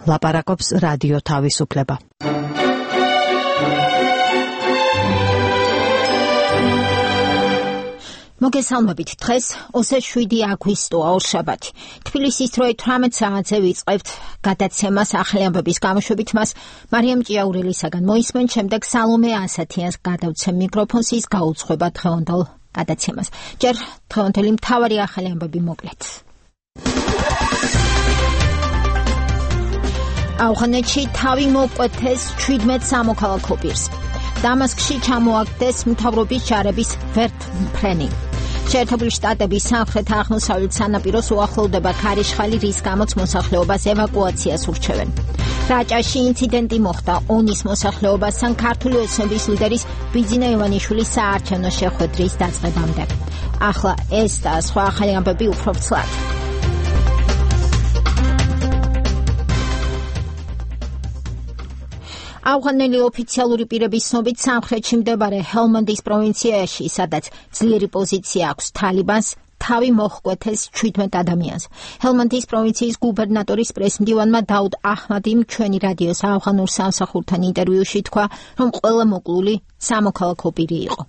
ლაპარაკობს რადიო თავისუფლება. მოგესალმებით, დღეს 27 აგვისტოა, ორშაბათი. თბილისის დროით 18 საათზე ვიწყებთ გადაცემას ახალი ამბების გამოშვებით. მას მარიამ ჭიაურელისაგან მოისმენ, შემდეგ სალომე ასათიანს გადავცემ მიკროფონს, ის გაუძღვება დღევანდელ გადაცემას. ჯერ დღევანდელი მთავარი ახალი ამბები მოკლედ. ავღანეთში თავი მოკვეთეს 17 სამოქალაქო პირს. დამასკში ჩამოაგდეს მთავრობის ჯარების ვერტმფრენი. შეერთებული შტატების სამხრეთ-აღმოსავლეთ სანაპიროს უახლოვდება ქარიშხალი, რის გამოც მოსახლეობას ევაკუაციას ურჩევენ. რაჭაში ინციდენტი მოხდა ონის მოსახლეობასთან ქართული ოცნების ლიდერის ბიძინა ივანიშვილის საარჩევნო შეხვედრის დაწყებამდე. ახლა ეს და სხვა ახალი ამბები უფრო ვრცლად. ავღანელი ოფიციალური პირების ცნობით სამხრეთში მდებარე ჰელმანდის პროვინციაში, სადაც ძლიერი პოზიცია აქვს თალიბანს, თავი მოჰკვეთეს 17 ადამიანს. ჰელმანდის პროვინციის გუბერნატორის პრესმდივანმა დაუდ აჰმადიმ ჩვენი რადიოს ავღანურ სამსახურთან ინტერვიუში თქვა, რომ ყველა მოკლული სამოქალაქო პირი იყო.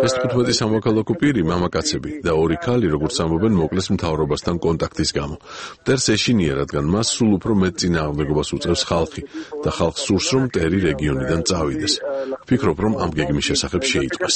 ეს 15 სამოქალაქო პირი მამაკაცები და 2 ქალი, როგორც ამბობენ, მოკლეს მთავრობასთან კონტაქტის გამო. მტერს ეშინია, რადგან მას სულ უფრო მეტ წინააღმდეგობას უწევს ხალხი და ხალხს სურს, რომ მტერი რეგიონიდან წავიდეს. ვფიქრობ, რომ ამ გეგმის შესახებ შეიტყვეს.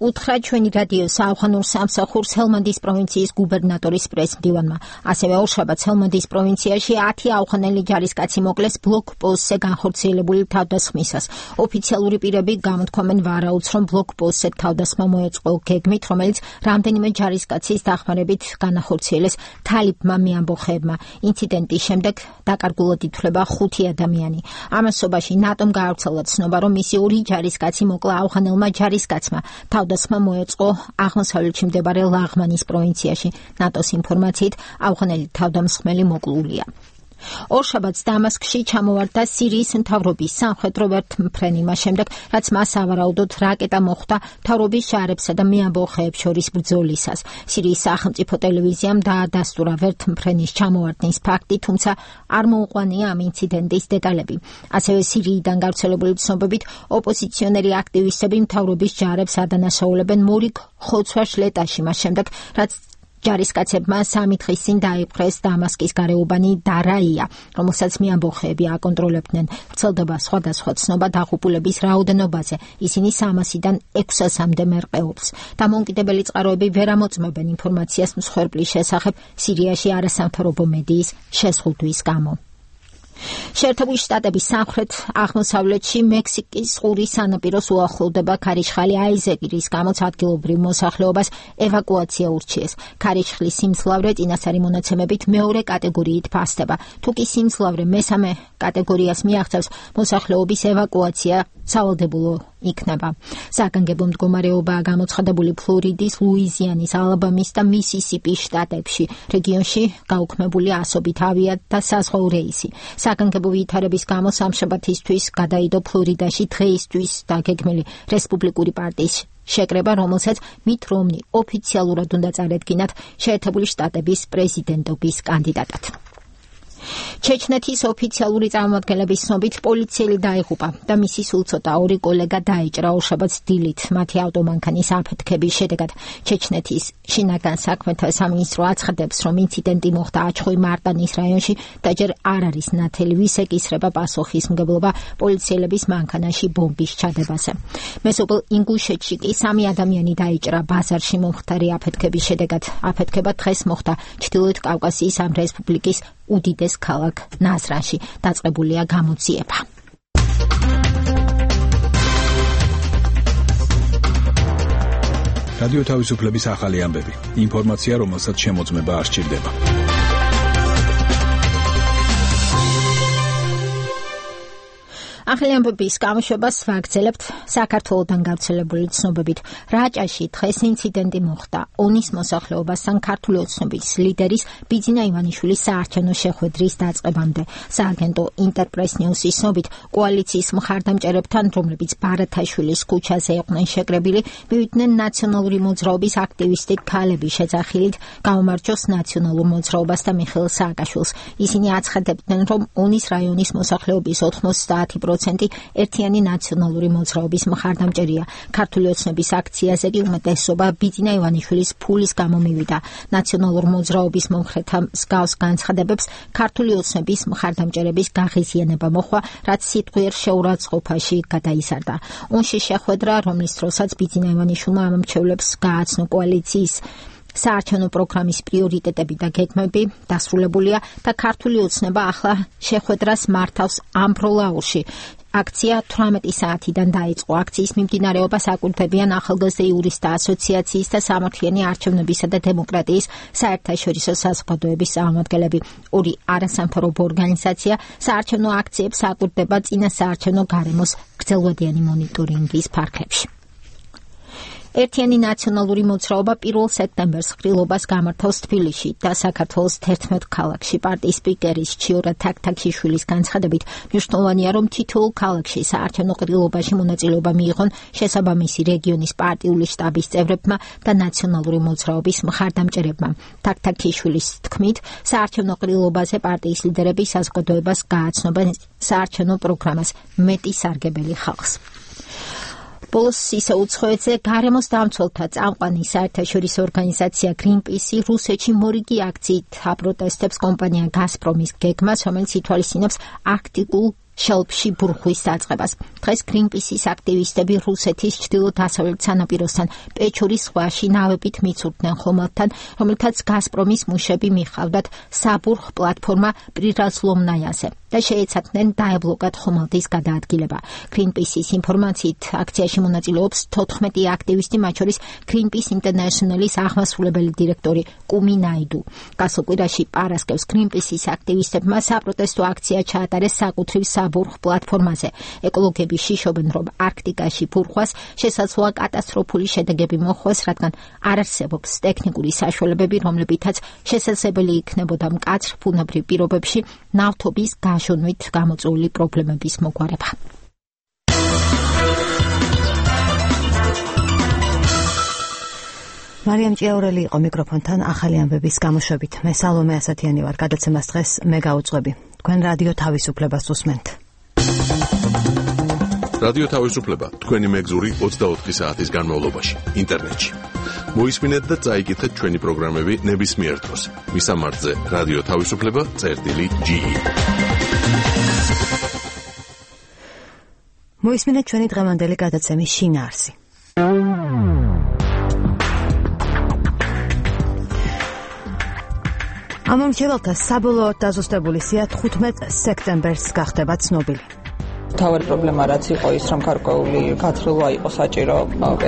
უთხრა ჩვენი რადიოს ავღანურ სამსახურს ჰელმანდის პროვინციის გუბერნატორის პრესმდივანმა. ასევე ორშაბათს ჰელმანდის პროვინციაში 10 ავღანელი ჯარისკაცი მოკლეს ბლოკპოსტზე განხორციელებული თავდასხმისას. ოფიციალური პირები გამოთქვამენ ვარაუდს, რომ ბლოკპოსტზე თავდასხმა მოეწყო გეგმით, რომელიც რამდენიმე ჯარისკაცის დახმარებით განახორციელეს თალიბმა მეამბოხეებმა. ინციდენტის შემდეგ დაკარგულად ითვლება 5 ადამიანი. ამასობაში ნატომ გაავრცელა ცნობა, რომ მისი 2 ჯარისკაცი მოკლა ავღანელმა ჯარისკაცმა. თავდასხმა მოეწყო აღმოსავლეთში მდებარე ლაღმანის პროვინციაში. ნატოს ინფორმაციით ავღანელი თავდამსხმელი მოკლულია. ორშაბათს დამასკში ჩამოვარდა სირიის მთავრობის სამხედრო ვერტმფრენი, მას შემდეგ, რაც მას ავარაუდოდ რაკეტა მოხვდა მთავრობის ჯარებსა და მეამბოხეებს შორის ბრძოლისას. სირიის სახელმწიფო ტელევიზიამ დაადასტურა ვერტმფრენის ჩამოვარდნის ფაქტი, თუმცა არ მოუყვანია ამ ინციდენტის დეტალები. ასევე სირიიდან გავრცელებული ცნობებით, ოპოზიციონერი აქტივისტები მთავრობის ჯარებს ადანაშაულებენ მორიგ ხოცვას ლეტაში, მას შემდეგ, რაც ჯარისკაცებმა 3 დღის წინ დაიპყრეს დამასკის გარეუბანი დარაია, რომელსაც მეამბოხეები აკონტროლებდნენ. ვრცელდება სხვადასხვა ცნობა დაღუპულების რაოდენობაზე. ისინი 300-დან 600-მდე მერყეობს. დამოუკიდებელი წყაროები ვერ ამოწმებენ ინფორმაციას მსხვერპლის შესახებ სირიაში არასამთავრობო მედიის შეზღუდვის გამო. შეერთებული შტატების სამხრეთ-აღმოსავლეთში მექსიკის ყურის სანაპიროს უახლოვდება ქარიშხალი აიზეკი, რის გამოც ადგილობრივ მოსახლეობას ევაკუაცია ურჩიეს. ქარიშხლის სიმძლავრე წინასწარი მონაცემებით მეორე კატეგორიით ფასდება. თუ კი სიმძლავრე მესამე კატეგორიას მიაღწევს, მოსახლეობის ევაკუაცია სავალდებულო იქნება. საგანგებო მდგომარეობაა გამოცხადებული ფლორიდის, ლუიზიანის, ალაბამის და მისისიპის შტატებში. რეგიონში გაუქმებული ასობით ავია და საზღვაო რეისი. საგანგებო ვითარების გამო სამშაბათისთვის გადაიდო ფლორიდაში დღეისთვის დაგეგმილი რესპუბლიკური პარტიის შეკრება, რომელსაც მით რომნი ოფიციალურად უნდა წარედგინათ შეერთებული შტატების პრეზიდენტობის კანდიდატად. ჩეჩნეთის ოფიციალური წარმომადგენლების ცნობით პოლიციელი დაიღუპა და მისი სულ ცოტა 2 კოლეგა დაიჭრა ორშაბათს დილით მათი ავტომანქანის აფეთქების შედეგად. ჩეჩნეთის შინაგან საქმეთა სამინისტრო აცხადებს, რომ ინციდენტი მოხდა აჩხოი-მარტანის რაიონში და ჯერ არ არის ნათელი ვის ეკისრება პასუხისმგებლობა პოლიციელების მანქანაში ბომბის ჩადებაზე. მეზობელ ინგუშეთში კი 3 ადამიანი დაიჭრა ბაზარში მომხდარი აფეთქების შედეგად. აფეთქება დღეს მოხდა ჩრდილოეთ კავკასიის ამ რესპუბლიკის უდიდეს ქალაქ ნაზრანში. დაწყებულია გამოძიება. რადიო თავისუფლების ახალი ამბები. ინფორმაცია, რომელსაც შემოწმება არ სჭირდება. ახალი ამბების გამოშვებას ვაგრძელებთ საქართველოდან გავრცელებული ცნობებით. რაჭაში დღეს ინციდენტი მოხდა. ონის მოსახლეობასთან ქართული ოცნების ლიდერის ბიძინა ივანიშვილის საარჩევნო შეხვედრის დაწყებამდე. სააგენტო ინტერპრეს ნიუსის ცნობით, კოალიციის მხარდამჭერებთან, რომლებიც ბარათაშვილის ქუჩაზე იყვნენ შეკრებილი, მივიდნენ ნაციონალური მოძრაობის აქტივისტი ქალები შეძახილით გაუმარჯოს ნაციონალურ მოძრაობას და მიხეილ სააკაშვილს. ისინი აცხადებდნენ, რომ ონის რაიონის მოსახლეობის 90% ერთიანი ნაციონალური მოძრაობის მხარდამჭერია. ქართული ოცნების აქციაზე უმეტესობა ბიძინა ივანიშვილის ფულის გამო მივიდა. ნაციონალურ მოძრაობის მომხრეთა მსგავს განცხადებებს ქართული ოცნების მხარდამჭერების გაღიზიანება მოჰყვა, რაც სიტყვიერ შეურაცხყოფაში გადაიზარდა. ონში შეხვედრა, რომლის დროსაც ბიძინა ივანიშვილმა ამომრჩევლებს გააცნო კოალიციის საარჩევნო პროგრამის პრიორიტეტები და გეგმები დასრულებულია და ქართული ოცნება ახლა შეხვედრას მართავს ამბროლაურში. აქცია 18 საათიდან დაიწყო. აქციის მიმდინარეობას აკვირდებიან ახალგაზრდა იურისტთა ასოციაციის და სამართლიანი არჩევნებისა და დემოკრატიის საერთაშორისო საზოგადოების წარმომადგენლები. ორი არასამთავრობო ორგანიზაცია საარჩევნო აქციებს აკვირდება წინა საარჩევნო გარემოს გრძელვადიანი მონიტორინგის ფარგლებში. ერთიანი ნაციონალური მოძრაობა 1 სექტემბერს ღრილობას გამართავს თბილისში და საქართველოს 11 ქალაქში. პარტიის სპიკერის ჩიორა თაქთაქიშვილის განცხადებით, მნიშვნელოვანია, რომ თითოეულ ქალაქში საარჩევნო ღრილობაში მონაწილეობა მიიღონ შესაბამისი რეგიონის პარტიული შტაბის წევრებმა და ნაციონალური მოძრაობის მხარდამჭერებმა. თაქთაქიშვილის თქმით, საარჩევნო ღრილობაზე პარტიის ლიდერები საზოგადოებას გააცნობენ საარჩევნო პროგრამას მეტი სარგებელი ხალხს. ბოლოს ისე უცხოეთზე გარემოს დამცველთა წამყვანი საერთაშორისო ორგანიზაცია Greenpeace რუსეთში მორიგი აქციით აპროტესტებს კომპანია გაზპრომის გეგმას, რომელიც ითვალისწინებს არქტიკულ შელფში ბურღვის დაწყებას. დღეს Greenpeace-ის აქტივისტები რუსეთის ჩრდილო-დასავლეთ სანაპიროსთან პეჩორის ზღვაში ნავებით მიცურდნენ ხომალდთან, რომელთაც გაზპრომის მუშები მიხავდათ საბურღ პლატფორმა პრირაზლომნაიაზე და შეეცადნენ დაებლოკათ ხომალდის გადაადგილება. Greenpeace-ის ინფორმაციით აქციაში მონაწილეობს 14 აქტივისტი, მათ შორის Greenpeace International-ის აღმასრულებელი დირექტორი კუმი ნაიდუ. გასულ კვირაში პარასკევს Greenpeace-ის აქტივისტებმა საპროტესტო აქცია ჩაატარეს საკუთრივ საბურღ პლატფორმაზე. ეკოლოგები შიშობენ, რომ არქტიკაში ბურღვას შესაძლოა კატასტროფული შედეგები მოჰყვეს, რადგან არ არსებობს ტექნიკური საშუალებები, რომლებითაც შესაძლებელი იქნებოდა მკაცრ ბუნებრივ პირობებში ნავთობის გაჟონვით გამოწვეული პრობლემების მოგვარება. მარიამ ჭიაურელი იყო მიკროფონთან ახალი ამბების გამოშვებით. მე სალომე ასათიანი ვარ, გადაცემას დღეს მე გავუძღვები. თქვენ რადიო თავისუფლებას უსმენთ. რადიო თავისუფლება თქვენი მეგზური 24 საათის განმავლობაში ინტერნეტში. მოისმინეთ და წაიკითხეთ ჩვენი პროგრამები ნებისმიერ დროს. მისამართზე რადიო თავისუფლება.ge. მოისმინეთ ჩვენი დღევანდელი გადაცემის შინაარსი. ამომრჩეველთა საბოლოოდ დაზუსტებული სია 15 სექტემბერს გახდება ცნობილი. თავარი პრობლემა რაც იყო ის, რომ გარკვეული გათხრილვა იყო საჭირო,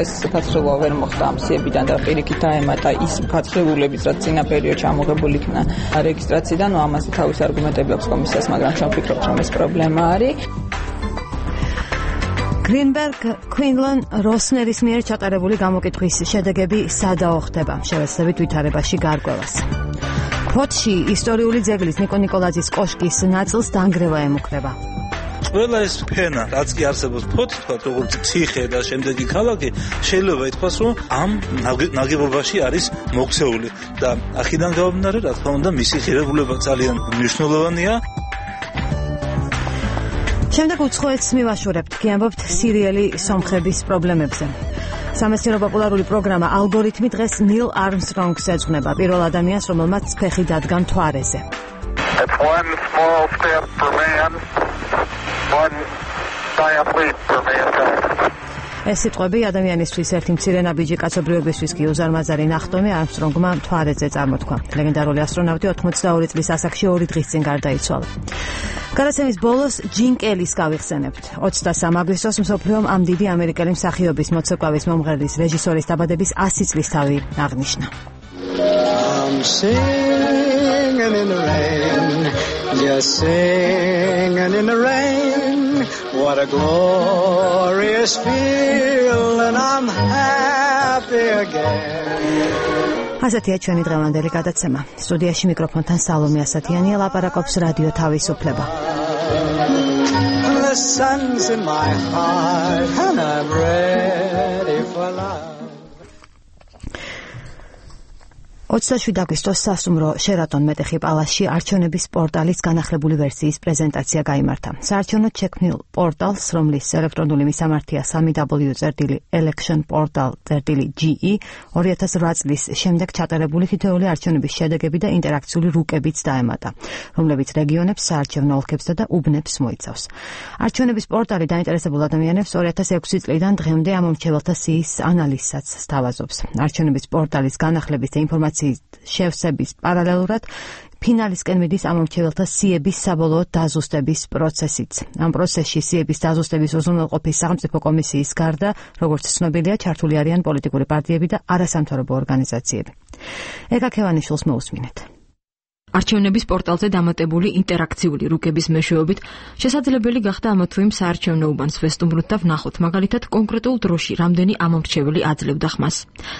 ეს გათხრილვა ვერ მოხდა ამ სიებიდან და პირიქით დაემატა ის გათხრილებიც, რაც წინა პერიოდში ამოღებული იქნა რეგისტრაციიდან, ამაზე თავის არგუმენტები აქვს კომისიას, მაგრამ ჩვენ ვფიქრობთ, რომ ეს პრობლემა არის. გრინბერგ Quinlan Rosneris მიერ ჩატარებული გამოკითხვის შედეგები სადაო ხდება, შევეცდებით ვითარებაში გარკვევას. ფოთში ისტორიული ძეგლის ნიკო ნიკოლაძის კოშკის ნაწილს დანგრევა ემუქრება. ყველა ეს ფენა, რაც კი არსებობს ფოთი, თქვა როგორც ციხე და შემდეგი ქალაქი, შეიძლება ითქვას, რომ ამ ნაგებობაში არის მოქცეული და აქედან გამომდინარე, რა თქმა უნდა, მისი ღირებულება ძალიან მნიშვნელოვანია. შემდეგ უცხოეთს მივაშორებთ, გიამბობთ სერიალი სომხების პრობლემებზე. სამეცნიერო პოპულარული პროგრამა ალგორითმი დღეს ნილ არმსტრონგს ეძღვნება, პირველ ადამიანს, რომელმაც ფეხი დადგა მთვარეზე. ეს სიტყვები ადამიანისთვის ერთი მცირე ნაბიჯი კაცობრიობისთვის კი უზარმაზარი ნახტომი არმსტრონგმა მთვარეზე წარმოთქვა. ლეგენდარული ასტრონავტი 82 წლის ასაკში 2 დღის წინ გარდაიცვალა. გადაცემის ბოლოს ჯინ კელის გავიხსენებთ. 23 აგვისტოს მსოფლიომ ამ დიდი ამერიკელი მსახიობის მოცეკვავის მომღერლის რეჟისორის დაბადების 100 წლისთავი აღნიშნა. Just singing in the rain, what a glorious feeling, I'm happy again. ასეთია ჩვენი დღევანდელი გადაცემა. სტუდიაში მიკროფონთან სალომე ასათიანია, ლაპარაკობს რადიო თავისუფლება. The sun's in my heart and I'm ready for love. 27 აგვისტოს სასტუმრო შერატონ მეტეხი პალასში არჩევნების პორტალის განახლებული ვერსიის პრეზენტაცია გაიმართა. საარჩევნოდ შექმნილ პორტალს, რომლის ელექტრონული მისამართია www.electionportal.ge 2008 წლის შემდეგ ჩატარებული თითოეული არჩევნების შედეგები და ინტერაქციული რუკებიც დაემატა, რომლებიც რეგიონებს, საარჩევნო ოლქებსა და უბნებს მოიცავს. არჩევნების პორტალი დაინტერესებულ ადამიანებს 2006 წლიდან დღემდე ამომრჩეველთა სიის ანალიზსაც სთავაზობს. არჩევნების პორტალის განახლების და ინფორმაციის შევსების პარალელურად ფინალისკენ მიდის ამომრჩეველთა სიების საბოლოო დაზუსტების პროცესიც. ამ პროცესში სიების დაზუსტების უზრუნველყოფის სახელმწიფო კომისიის გარდა, როგორც ცნობილია, ჩართული არიან პოლიტიკური პარტიები და არასამთავრობო ორგანიზაციები. ეკა ქევანიშვილს მოусმინეთ. არჩევნების პორტალზე დამატებული ინტერაქციული რუკების მეშვეობით შესაძლებელი გახდა ამა თუ იმ საარჩევნო უბანს ვესტუმროთ და ვნახოთ, მაგალითად, კონკრეტულ დროში რამდენი ამომრჩეველი აძლევდა ხმას.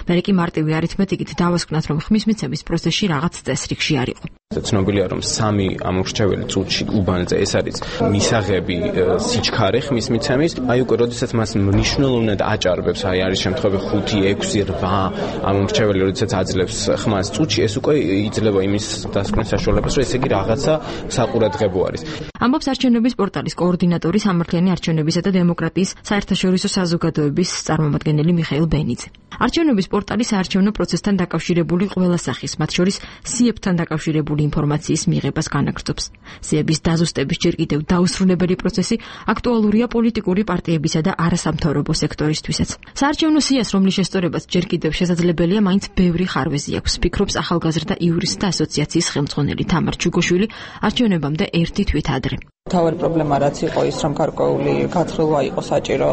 მერე კი მარტივი არითმეტიკით დავასკვნათ, რომ ხმის მიცემის პროცესში რაღაც წესრიგში არ იყო. ცნობილია, რომ 3 ამომრჩეველი წუთში უბანზე ეს არის მისაღები სიჩქარე ხმის მიცემის. აი უკვე როდესაც მას მნიშვნელოვნად აჭარბებს, აი არის შემთხვევები 5, 6, 8 ამომრჩეველი როდესაც აძლევს ხმას წუთში, ეს უკვე იძლევა იმის დასკვნის საშუალებას, რომ ესე იგი რაღაცა საყურადღებო არის. ამბობს არჩევნების პორტალის კოორდინატორი სამართლიანი არჩევნებისა და დემოკრატიის საერთაშორისო საზოგადოების წარმომადგენელი მიხეილ ბენიძე. არჩევნების პორტალი საარჩევნო პროცესთან დაკავშირებული ყველა სახის, მათ შორის სიებთან დაკავშირებული ინფორმაციის მიღებას განაგრძობს. სიების დაზუსტების ჯერ კიდევ დაუსრულებელი პროცესი აქტუალურია პოლიტიკური პარტიებისა და არასამთავრობო სექტორისთვისაც. საარჩევნო სიას, რომლის შესწორებაც ჯერ კიდევ შესაძლებელია, მაინც ბევრი ხარვეზი აქვს, ფიქრობს ახალგაზრდა იურისტთა ასოციაციის ხელმძღვანელი თამარ ჩუგოშვილი არჩევნებამდე ერთი თვით ადრე. თავი პრობლემა რაც იყო ის, რომ გარკვეული გათხრილვა იყო საჭირო,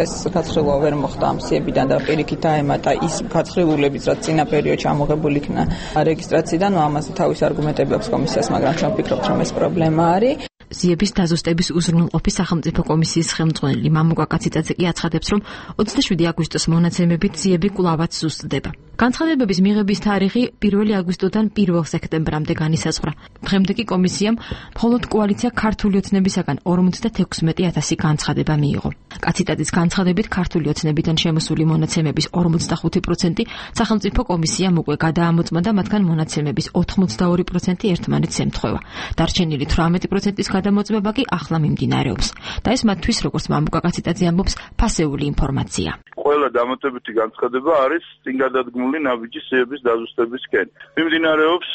ეს გათხრილვა ვერ მოხდა ამ სიებიდან და პირიქით დაემატა ის გათხრილებიც, რაც წინა პერიოდში ამოღებული იქნა რეგისტრაციიდან, ამაზე თავის არგუმენტები აქვს კომისიას, მაგრამ ჩვენ ვფიქრობთ, რომ ეს პრობლემა არის. სიების დაზუსტების უზრუნველყოფის სახელმწიფო კომისიის ხელმძღვანელი მამუკა კაციძე კი აცხადებს, რომ 27 აგვისტოს მონაცემებით სიები კვლავაც ზუსტდება. განცხადებების მიღების თარიღი 1 აგვისტოდან 1 სექტემბრამდე განისაზღვრა. დღემდე კი კომისიამ მხოლოდ კოალიცია ქართული ოცნებისაგან 56,000 განცხადება მიიღო. კაციძის განცხადებით ქართული ოცნებიდან შემოსული მონაცემების 45% სახელმწიფო კომისიამ უკვე გადაამოწმა და მათგან მონაცემების 82% ერთმანეთს ემთხვევა. დარჩენილი 18%-ის გადამოწმება კი ახლა მიმდინარეობს. და ეს მათთვის, როგორც მამუკა კაციძე ამბობს, ფასეული ინფორმაცია. ყველა დამატებითი განცხადება არის წინ გადადგმული ნაბიჯის სიების დაზუსტებისკენ. მიმდინარეობს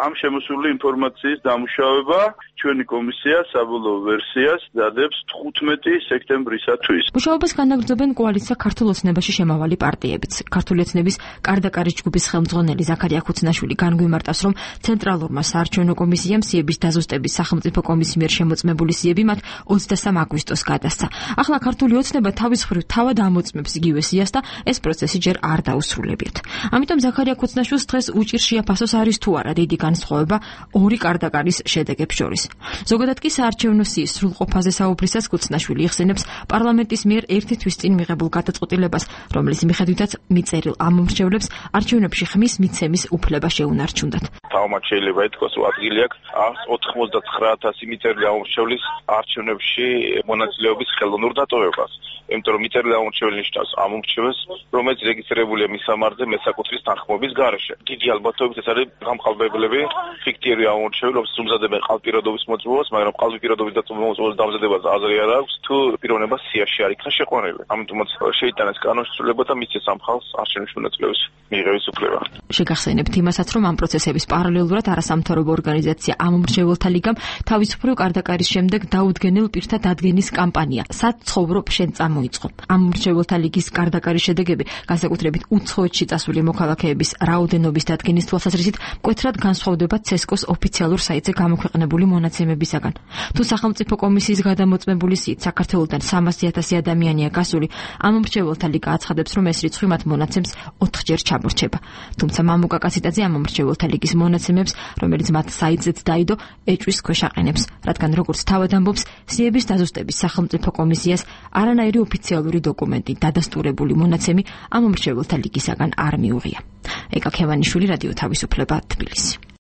ამ შემოსული ინფორმაციის დამუშავება. ჩვენი კომისია საბოლოო ვერსიას დადებს 15 სექტემბრისათვის. მუშაობას განაგრძობენ კოალიცია ქართულ ოცნებაში შემავალი პარტიებიც. ქართული ოცნების კარდაკარის ჯგუფის ხელმძღვანელი ზაქარია ხუცნაშვილი განგვიმარტავს, რომ ცენტრალურმა საარჩევნო კომისიამ სიების დაზუსტების სახელმწიფო კომისიის მიერ შემოწმებული სიები მათ 23 აგვისტოს გადასცა. ახლა ქართული ოცნება თავის მხრივ თავად ამოწმებს იგივე სიას და ეს პროცესი ჯერ არ დაუსრულებიათ. ამიტომ ზაქარია ხუცნაშვილს დღეს უჭირს შეაფასოს არის თუ არა დიდი განსხვავება ორი კარდაკარის შედეგებს შორის. ზოგადად კი საარჩევნო სიის სრულყოფაზე საუბრისას ხუცნაშვილი იხსენებს პარლამენტის მიერ ერთი თვის წინ მიღებულ გადაწყვეტილებას, რომლის მიხედვითაც მიწერილ ამომრჩევლებს არჩევნებში ხმის მიცემის უფლება შეუნარჩუნდათ. თავმაც შეიძლება ითქვას, რომ ადგილი აქვს 199,000 მიწერილი ამომრჩევლის არჩევნებში მონაწილეობის ხელოვნურ დატოვებას. იმიტომ რომ მიწერილი ამომრჩეველი ნიშნავს ამომრჩეველს, რომელიც რეგისტრირებულია მის სამართზე მესაკუთრის თანხმობის გარეშე. დიდი ალბათობით ეს არის გამყალბებლები, ფიქტიური ამომრჩეველი, რომლებიც უმზადებენ ყალბპირობების მოწმობას, მაგრამ ყალბპირობების მოწმობის დამზადებას აზრი არ აქვს, თუ პიროვნება სიაში არ იქნა შეყვანილი. ამიტომაც შეიტანეს კანონშესრულება და მისცეს ამ ხალხს არჩევნებში მონაწილეობის მიღების უფლება. შეგახსენებთ იმასაც, რომ ამ პროცესების პარალელურად არასამთავრობო ორგანიზაცია ამომრჩეველთა ლიგამ თავისუფლ კარდაკარის შემდეგ დაუდგენელ პირთა დადგენის კამპანია სად ცხოვრობ შენ წამოიწყო. ამომრჩეველთა ლიგის რეიტინგის გარდაკარი შედეგები, განსაკუთრებით უცხოეთში წასული მოქალაქეების რაოდენობის დადგენის თვალსაზრისით, მკვეთრად განსხვავდება CESCO-ს ოფიციალურ საიტზე გამოქვეყნებული მონაცემებისაგან. თუ სახელმწიფო კომისიის გადამოწმებული სიით საქართველოდან 300,000 ადამიანია გასული, ამ მომრჩეველთა ლიგა აცხადებს, რომ ეს რიცხვი მათ მონაცემს 4-ჯერ ჩამორჩება. თუმცა მამუკა კაციტაძე ამ მომრჩეველთა ლიგის მონაცემებს, რომელიც მათ საიტზეც დაიდო, ეჭვის ქვეშ აყენებს, რადგან როგორც თავად ამბობს, სიების დაზუსტების სახელმწიფო კომისიას არანაირი ოფიციალური დოკუმენტი, დადასტურებული მონაცემი ამ მომრჩეველთა ლიგისაგან არ მიუღია. ეკა ქევანიშვილი, რადიო თავისუფლება, თბილისი.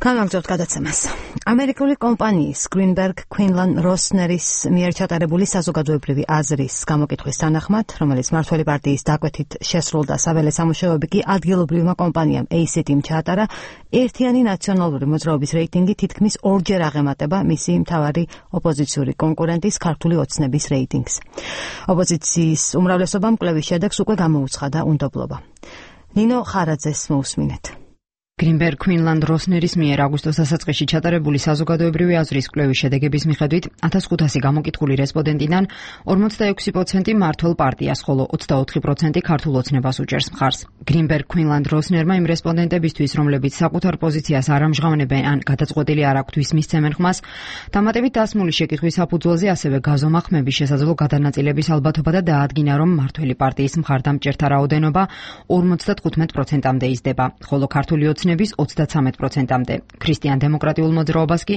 განაგრძობთ გადაცემას. ამერიკული კომპანიის Greenberg Quinlan Rosner-ის მიერ ჩატარებული საზოგადოებრივი აზრის გამოკითხვის თანახმად, რომელიც მმართველი პარტიის დაკვეთით შესრულდა, საველე სამუშაოები კი ადგილობრივმა კომპანიამ ACT-მ ჩაატარა, ერთიანი ნაციონალური მოძრაობის რეიტინგი თითქმის 2-ჯერ აღემატება მისი მთავარი ოპოზიციური კონკურენტის ქართული ოცნების რეიტინგს. ოპოზიციის უმრავლესობამ კვლევის შედეგს უკვე გამოუცხადა უნდობლობა. ნინო ხარაძეს მოусმინეთ. Greenberg Quinlan Rosner-ის მიერ აგვისტოს დასაწყისში ჩატარებული საზოგადოებრივი აზრის კვლევის შედეგების მიხედვით 1500 გამოკითხული რესპონდენტიდან 46% მმართველ პარტიას, ხოლო 24% ქართულ ოცნებას უჭერს მხარს. Greenberg Quinlan Rosner-მა იმ რესპონდენტებისთვის, რომლებიც საკუთარ პოზიციას არ ამჟღავნებენ ან გადაწყვეტილი არ აქვთ ვის მისცემენ ხმას, დამატებით დასმული შეკითხვის საფუძველზე ასევე გაზომახმების შესაძლო გადანაწილების ალბათობა და დაადგინა, რომ მმართველი პარტიის მხარდამჭერთა რაოდენობა 55%-მდე იზრდება, ხოლო ქართული ოცნების 33%-მდე. ქრისტიან დემოკრატიულ მოძრაობას კი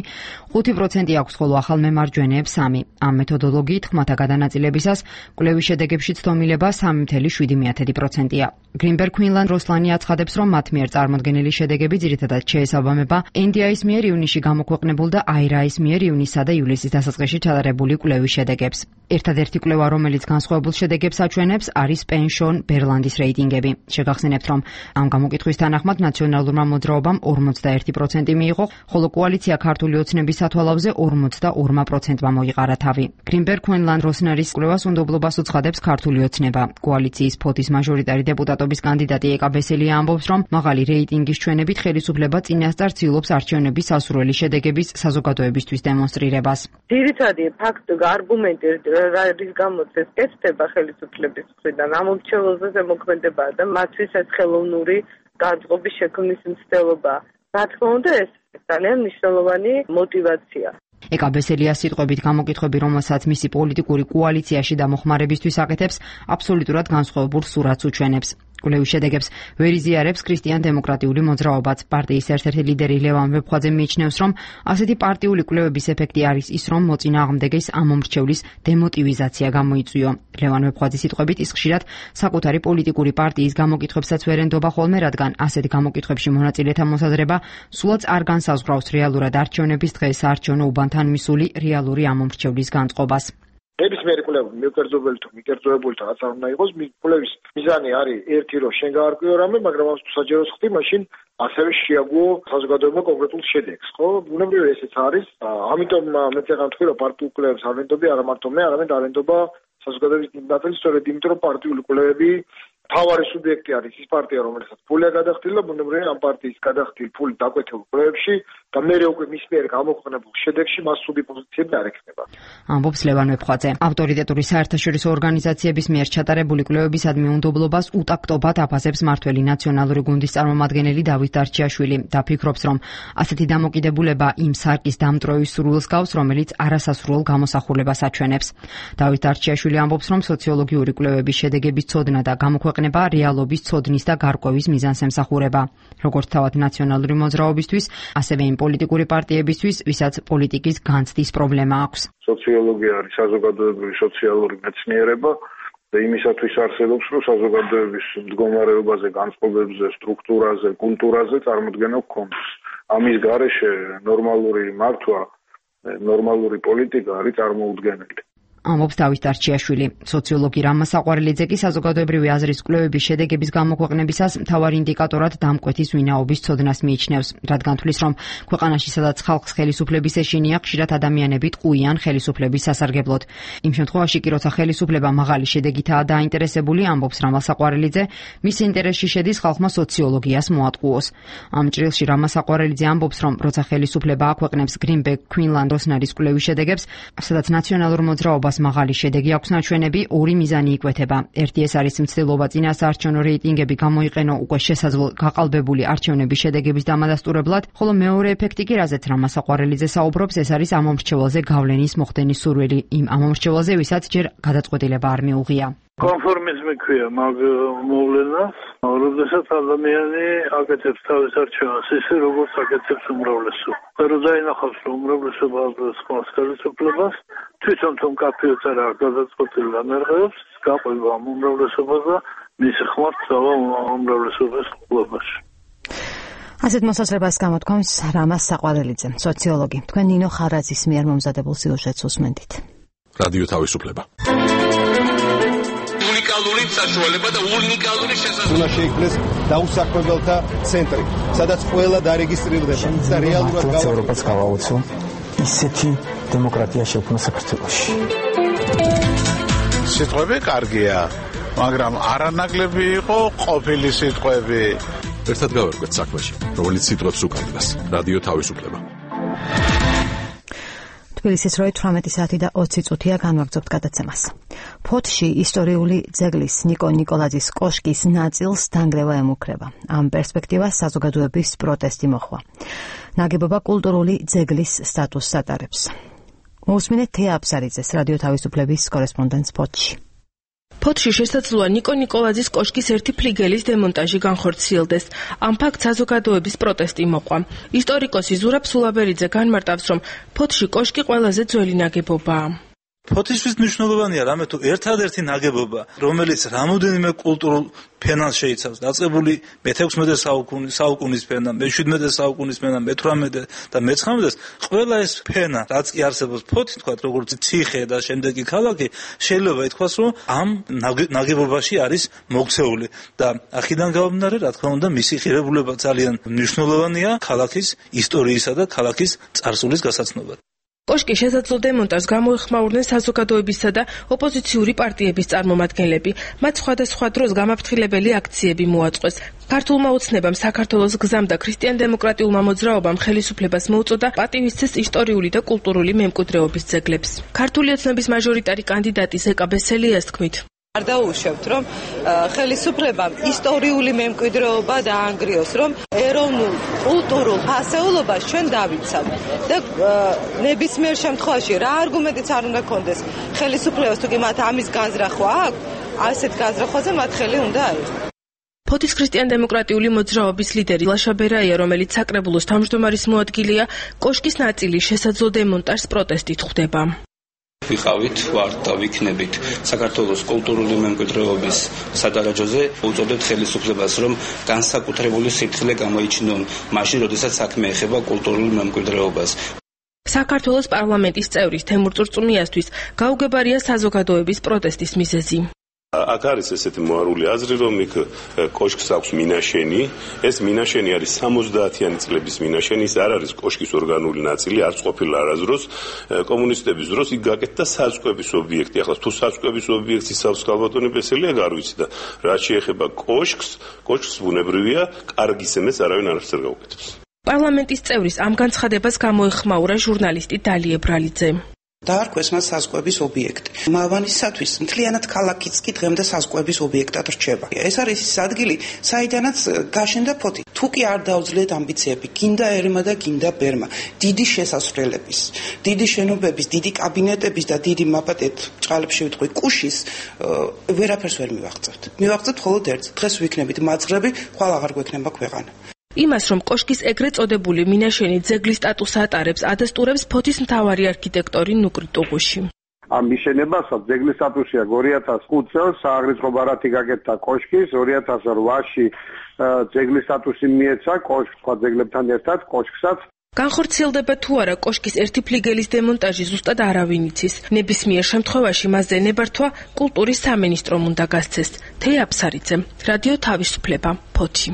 5% აქვს, ხოლო ახალ მემარჯვენეებს 3. ამ მეთოდოლოგიით ხმათა გადანაწილებისას კვლევის შედეგებში ცდომილება 3.7%-ია. Greenberg Quinlan Rosner-ი აცხადებს, რომ მათ მიერ წარმოდგენილი შედეგები ძირითადად შეესაბამება NDI-ის მიერ ივნისში გამოქვეყნებულ და IRA-ის მიერ ივნისსა და ივლისის დასაწყისში ჩატარებული კვლევის შედეგებს. ერთადერთი კვლევა, რომელიც განსხვავებულ შედეგებს აჩვენებს, არის Pension Berlandes რეიტინგები. შეგახსენებთ, რომ ამ გამოკითხვის თანახმად ნაციონალურმა მოძრაობამ 41% მიიღო, ხოლო კოალიცია ქართული ოცნების სათვალავზე 42%-მა მოიყარა თავი. Greenberg Quinlan Rosner-ის კვლევას უნდობლობას უცხადებს ქართული ოცნება. კოალიციის ფოთის მაჟორიტარი დეპუტატობის კანდიდატი ეკა ბესელია ამბობს, რომ მაღალი რეიტინგის ჩვენებით ხელისუფლება წინასწარ ცდილობს არჩევნების სასურველი შედეგების საზოგადოებისთვის დემონსტრირებას. ძირითადი ფაქტი, არგუმენტი, რის გამოც ეს კეთდება ხელისუფლების მხრიდან, ამ მომრჩეველზე ზემოქმედება და მათთვის ეს ხელოვნური განწყობის შექმნის მცდელობა. რა თქმა უნდა, ეს ძალიან მნიშვნელოვანი мотиваცია. ეკა ბესელიას სიტყვებით გამოკითხვები, რომელსაც მისი პოლიტიკური კოალიციაში დამოხმარებისთვის აკეთებს, აბსოლუტურად განსხვავებულ სურათს უჩვენებს. კვლევის შედეგებს ვერ იზიარებს ქრისტიან დემოკრატიული მოძრაობაც. პარტიის ერთ-ერთი ლიდერი ლევან ვეფხვაძე მიიჩნევს, რომ ასეთი პარტიული კვლევების ეფექტი არის ის, რომ მოწინააღმდეგეს ამ მომრჩევლის დემოტივიზაცია გამოიწვიო. ლევან ვეფხვაძის სიტყვებით, ის ხშირად საკუთარი პოლიტიკური პარტიის გამოკითხვებსაც ვერ ენდობა ხოლმე, რადგან ასეთ გამოკითხვებში მონაწილეთა მოსაზრება სულაც არ განსაზღვრავს რეალურად არჩევნების დღეს საარჩევნო უბანთან მისული რეალური ამ მომრჩევლის განწყობას. ნებისმიერი კვლევა მიკერძობელი თუ მიკერძოებული თუ რაც არ უნდა იყოს, კვლევის მიზანი არის ერთი, რომ შენ გაარკვიო რამე, მაგრამ ამას თუ საჯაროს ხდი, მაშინ ასევე შეაგუო საზოგადოება კონკრეტულ შედეგს, ხო? ბუნებრივია ესეც არის. ამიტომ მე წეგან თქვი, რომ პარტიულ კვლევებს არ ვენდობი, არა მარტო მე, არამედ არ ვენდობა საზოგადოების ნაწილი, სწორედ იმიტომ, რომ პარტიული კვლევები თავარი სუბიექტი არის ის პარტია, რომელსაც ფულია გადახდილი და ბუნებრივია ამ პარტიის გადახდილი ფული დაკვეთილ კვლევებში და მე უკვე მის მიერ გამოქვეყნებულ შედეგში მასუდი პოზიციები არ ექნება. ამბობს ლევან ვეფხვაძე. ავტორიტეტური საერთაშორისო ორგანიზაციების მიერ ჩატარებული კვლევებისადმი უნდობლობას უტაქტობად აფასებს მმართველი ნაციონალური გუნდის წარმომადგენელი დავით დარჩიაშვილი და ფიქრობს, რომ ასეთი დამოკიდებულება იმ სარკის დამტვრევის სურვილს გავს, რომელიც არასასურველ გამოსახულებას აჩვენებს. დავით დარჩიაშვილი ამბობს, რომ სოციოლოგიური კვლევების შედეგების ცოდნა და გამოქვეყნება რეალობის ცოდნის და გარკვევის მიზანს ემსახურება. როგორც თავად ნაციონალური მოძრაობისთვის, ასევე იმ პოლიტიკური პარტიებისთვის, ვისაც პოლიტიკის განცდის პრობლემა აქვს. სოციოლოგია არის საზოგადოებრივი სოციალური მეცნიერება და იმისათვის არსებობს, რომ საზოგადოების მდგომარეობაზე, განწყობებზე, სტრუქტურაზე, კულტურაზე წარმოდგენა გქონდეს. ამის გარეშე ნორმალური მართვა, ნორმალური პოლიტიკა არის წარმოუდგენელი. ამბობს დავით დარჩიაშვილი. სოციოლოგი რამა საყვარელიძე კი საზოგადოებრივი აზრის კვლევების შედეგების გამოქვეყნებისას მთავარ ინდიკატორად დამკვეთის ვინაობის ცოდნას მიიჩნევს, რადგან თვლის, რომ ქვეყანაში სადაც ხალხს ხელისუფლების ეშინია, ხშირად ადამიანები ტყუიან ხელისუფლების სასარგებლოდ. იმ შემთხვევაში კი, როცა ხელისუფლება მაღალი შედეგითაა დაინტერესებული, ამბობს რამა საყვარელიძე, მის ინტერესში შედის ხალხმა სოციოლოგიას მოატყუოს. ამ ჭრილში რამა საყვარელიძე ამბობს, რომ როცა ხელისუფლება აქვეყნებს Greenback Quinlan Rosner-ის კვლევის შედეგებს, სადაც ნაციონალურ მოძრაობას მაღალი შედეგი აქვს ნაჩვენები, ორი მიზანი იკვეთება. ერთი ეს არის მცდელობა წინასაარჩევნო რეიტინგები გამოიყენო უკვე შესაძლო გაყალბებული არჩევნების შედეგების დამადასტურებლად, ხოლო მეორე ეფექტი კი, რაზეც რამა საყვარელიძე საუბრობს, ეს არის ამომრჩეველზე გავლენის მოხდენის სურვილი, იმ ამომრჩეველზე, ვისაც ჯერ გადაწყვეტილება არ მიუღია. კონფორმიზმი ქვია მაგ მოვლენას, როდესაც ადამიანი აკეთებს თავის არჩევანს ისე, როგორც აკეთებს უმრავლესობა. და დაინახავს, რომ უმრავლესობა აბლოს ხმას ხელისუფლებას, თვითონ თუ მკაფიოც არ აქვს გადაწყვეტილი ამერღებს, გაყვება ამ უმრავლესობას და მისი ხმას წავა უმრავლესობის ყოლობაში. ასეთ მოსაზრებას გამოთქვამს რამას საყვარელიძე, სოციოლოგი. თქვენ ნინო ხარაძის მიერ მომზადებულ სიუჟეტს უსმენთ. რადიო თავისუფლება. უნიკალური საშუალება და უნიკალური შესაძლებლობა. უნდა შეიქმნეს დაუსაქმებელთა ცენტრი, სადაც ყველა დარეგისტრირდება და რეალურად ევროპას გავაოცო ისეთი დემოკრატია შექმნა საქართველოში. სიტყვები კარგია, მაგრამ არანაკლები იყო ყოფილი სიტყვები. ერთად გავერკვეთ საქმეში, რომელიც სიტყვებს უკარგავს. რადიო თავისუფლება. თბილისის 18 საათი და 20 წუთია განვაგრძობთ გადაცემას. ფოთში ისტორიული ძეგლის ნიკო ნიკოლაძის კოშკის ნაწილს დანგრევა ემუქრება. ამ პერსპექტივას საზოგადოების პროტესტი მოჰყვა. ნაგებობა კულტურული ძეგლის სტატუსს ატარებს. მოусმინეთ თეა აბსარიძეს, რადიო თავისუფლების კორესპონდენტს ფოთში. ფოთში შესაძლოა ნიკო ნიკოლაძის კოშკის ერთი ფლიგელის დემონტაჟი განხორციელდეს. ამ ფაქტს საზოგადოების პროტესტი მოყვა. ისტორიკოსი ზურაბ სულაბერიძე განმარტავს, რომ ფოთში კოშკი ყველაზე ძველი ნაგებობაა. ფოთისთვის მნიშვნელოვანია რამე თუ ერთადერთი ნაგებობა, რომელიც რამოდენიმე კულტურულ ფენას შეიცავს, დაწყებული მე-16 საუკუნის ფენა, მე-17 საუკუნის ფენა, მე-18 და მე-19, ყველა ეს ფენა, რაც კი არსებობს ფოთი, თქვათ, როგორც ციხე და შემდეგი ქალაქი, შეიძლება ითქვას, რომ ამ ნაგებობაში არის მოქცეული და აქედან გამომდინარე, რა თქმა უნდა, მისი ღირებულება ძალიან მნიშვნელოვანია ქალაქის ისტორიისა და ქალაქის წარსულის გასაცნობად. კოშკის შესაძლო დემონტაჟს გამოეხმაურნენ საზოგადოებისა და ოპოზიციური პარტიების წარმომადგენლები. მათ სხვადასხვა დროს გამაფრთხილებელი აქციები მოაწყვეს. ქართულმა ოცნებამ, საქართველოს გზამ და ქრისტიან-დემოკრატიულმა მოძრაობამ ხელისუფლებას მოუწოდა პატივისცეს ისტორიული და კულტურული მემკვიდრეობის ძეგლებს. ქართული ოცნების მაჟორიტარი კანდიდატი ზეკა ბესელიას თქმით, არ დაუშვებთ, რომ ხელისუფლებამ ისტორიული მემკვიდრეობა დაანგრიოს, რომ ეროვნულ კულტურულ ფასეულობას ჩვენ დავიცავთ და ნებისმიერ შემთხვევაში რა არგუმენტიც არ უნდა კონდეს ხელისუფლებას, თუ კი მათ ამის განზრახვა აქვს, ასეთ განზრახვაზე მათ ხელი უნდა აიღოს. ფოთის ქრისტიან-დემოკრატიული მოძრაობის ლიდერი ლაშა ბერაია, რომელიც საკრებულოს თავმჯდომარის მოადგილეა, კოშკის ნაწილის შესაძლო დემონტაჟს პროტესტით ხვდება. ვიყავით, ვართ და ვიქნებით საქართველოს კულტურული მემკვიდრეობის სადარაჯოზე, უწოდებთ ხელისუფლებას, რომ განსაკუთრებული სიფრთხილე გამოიჩინონ მაშინ, როდესაც საქმე ეხება კულტურულ მემკვიდრეობას. საქართველოს პარლამენტის წევრის თემურ წურწუმიასთვის გაუგებარია საზოგადოების პროტესტის მიზეზი. აქ არის ესეთი მოარული აზრი, რომ იქ კოშკს აქვს მინაშენი, ეს მინაშენი არის 70-იანი წლების მინაშენი, ის არ არის კოშკის ორგანული ნაწილი, არც ყოფილა არასდროს კომუნისტების დროს იქ გაკეთდა საწყების ობიექტი. ახლა თუ საწყების ობიექტს იცავს ქალბატონი ბესელია, არ ვიცი და რაც შეეხება კოშკს ბუნებრივია, კარგი სემეს არავინ არაფერს არ გაუკეთებს. პარლამენტის წევრის ამ განცხადებას გამოეხმაურა ჟურნალისტი დალი ებრალიძე. დაარქვეს მას საზღვების ობიექტი. მალვანისათვის მთლიანად ქალაქიც კი დღემდე საზღვების ობიექტად რჩება. ეს არის ის ადგილი, საიდანაც გაშენდა ფოთი. თუ კი არ დაუძლიათ ამბიციები, გინდა ერმა და გინდა ბერმა, დიდი შესასვლელების, დიდი შენობების, დიდი კაბინეტების და დიდი მაპატეთ ჭყალებში ვიტყვი კუშის ვერაფერს ვერ მივაღწევთ. მივაღწევთ მხოლოდ ერთს. დღეს ვიქნებით მაძღრები, ხვალ აღარ გვექნება ქვეყანა. იმას, რომ კოშკის ეგრეთ წოდებული მინაშენი ძეგლის სტატუსს ატარებს, ადასტურებს ფოთის მთავარი არქიტექტორი ნუკრი ტუღუში. ამ მიშენებასაც ძეგლის სტატუსია 2005 წელს სააღრიცხვო ბარათი გაკეთდა კოშკის, 2008-ში ძეგლის სტატუსი მიეცა კოშკს სხვა ძეგლებთან ერთად, კოშკსაც განხორციელდება თუ არა კოშკის ერთი ფლიგელის დემონტაჟი ზუსტად არავინ იცის. ნებისმიერ შემთხვევაში მასზე ნებართვა კულტურის სამინისტრომ უნდა გასცეს. თეა აფსარიძე, რადიო თავისუფლება, ფოთი.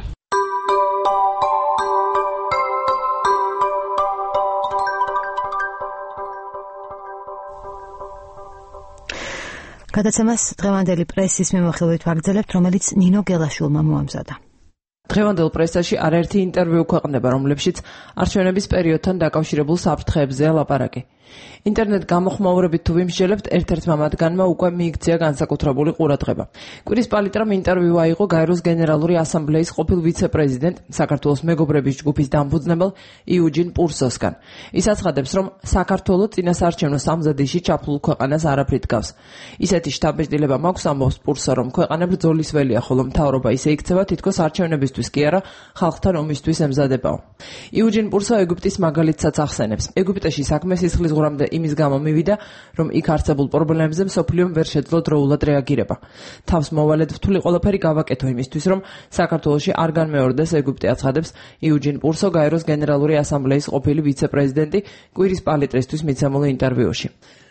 გადაცემას დღევანდელი პრესის მიმოხილვით ვაგრძელებთ, რომელიც ნინო გელაშვილმა მოამზადა. დღევანდელ პრესაში არაერთი ინტერვიუ ქვეყნდება, რომლებშიც არჩევნების პერიოდთან დაკავშირებულ საფრთხეებზეა ლაპარაკი. ინტერნეტ გამოხმაურებით თუ ვიმსჯელებთ, ერთ-ერთმა მათგანმა უკვე მიიქცია განსაკუთრებული ყურადღება. კვირის პალიტრამ ინტერვიუ აიღო გაეროს გენერალური ასამბლეის ყოფილ ვიცე-პრეზიდენტ, საქართველოს მეგობრების ჯგუფის დამფუძნებელ იუჯინ პურსოსგან. ის აცხადებს, რომ საქართველო წინასაარჩევნო სამზადისში ჩაფლულ ქვეყანას არაფრით გავს. ისეთი შთაბეჭდილება მაქვს, ამბობს პურსო, რომ ქვეყანა ბრძოლის ველია, ხოლო მთავრობა ისე იქცევა, თითქოს არჩევნებისთვის კი არა, ხალხთან ომისთვის ემზადებაო. იუჯინ პურსო ეგვიპტის მაგალითსაც ახსენებს. ეგვიპტეში საქმე სისხლის ღურამდე იმის გამო მივიდა, რომ იქ არსებულ პრობლემებზე მსოფლიომ ვერ შეძლო დროულად რეაგირება. თავს მოვალედ რთული ყველაფერი გავაკეთო იმისთვის, რომ საქართველოში არ განმეორდეს, ეგვიპტე აცხადებს იუჯინ პურსო გაეროს გენერალური ასამბლეის ყოფილი ვიცე-პრეზიდენტი კვირის პალიტრისთვის მიცემულ ინტერვიუში.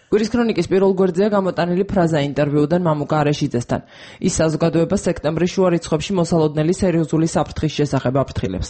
კვირის ქრონიკის პირველ გვერდზეა გამოტანილი ფრაზა ინტერვიუდან მამუკა არეშიძესთან. ის საზოგადოებას სექტემბრის შუა რიცხვებში მოსალოდნელი სერიოზული საფრთხის შესახებ აფრთხილებს.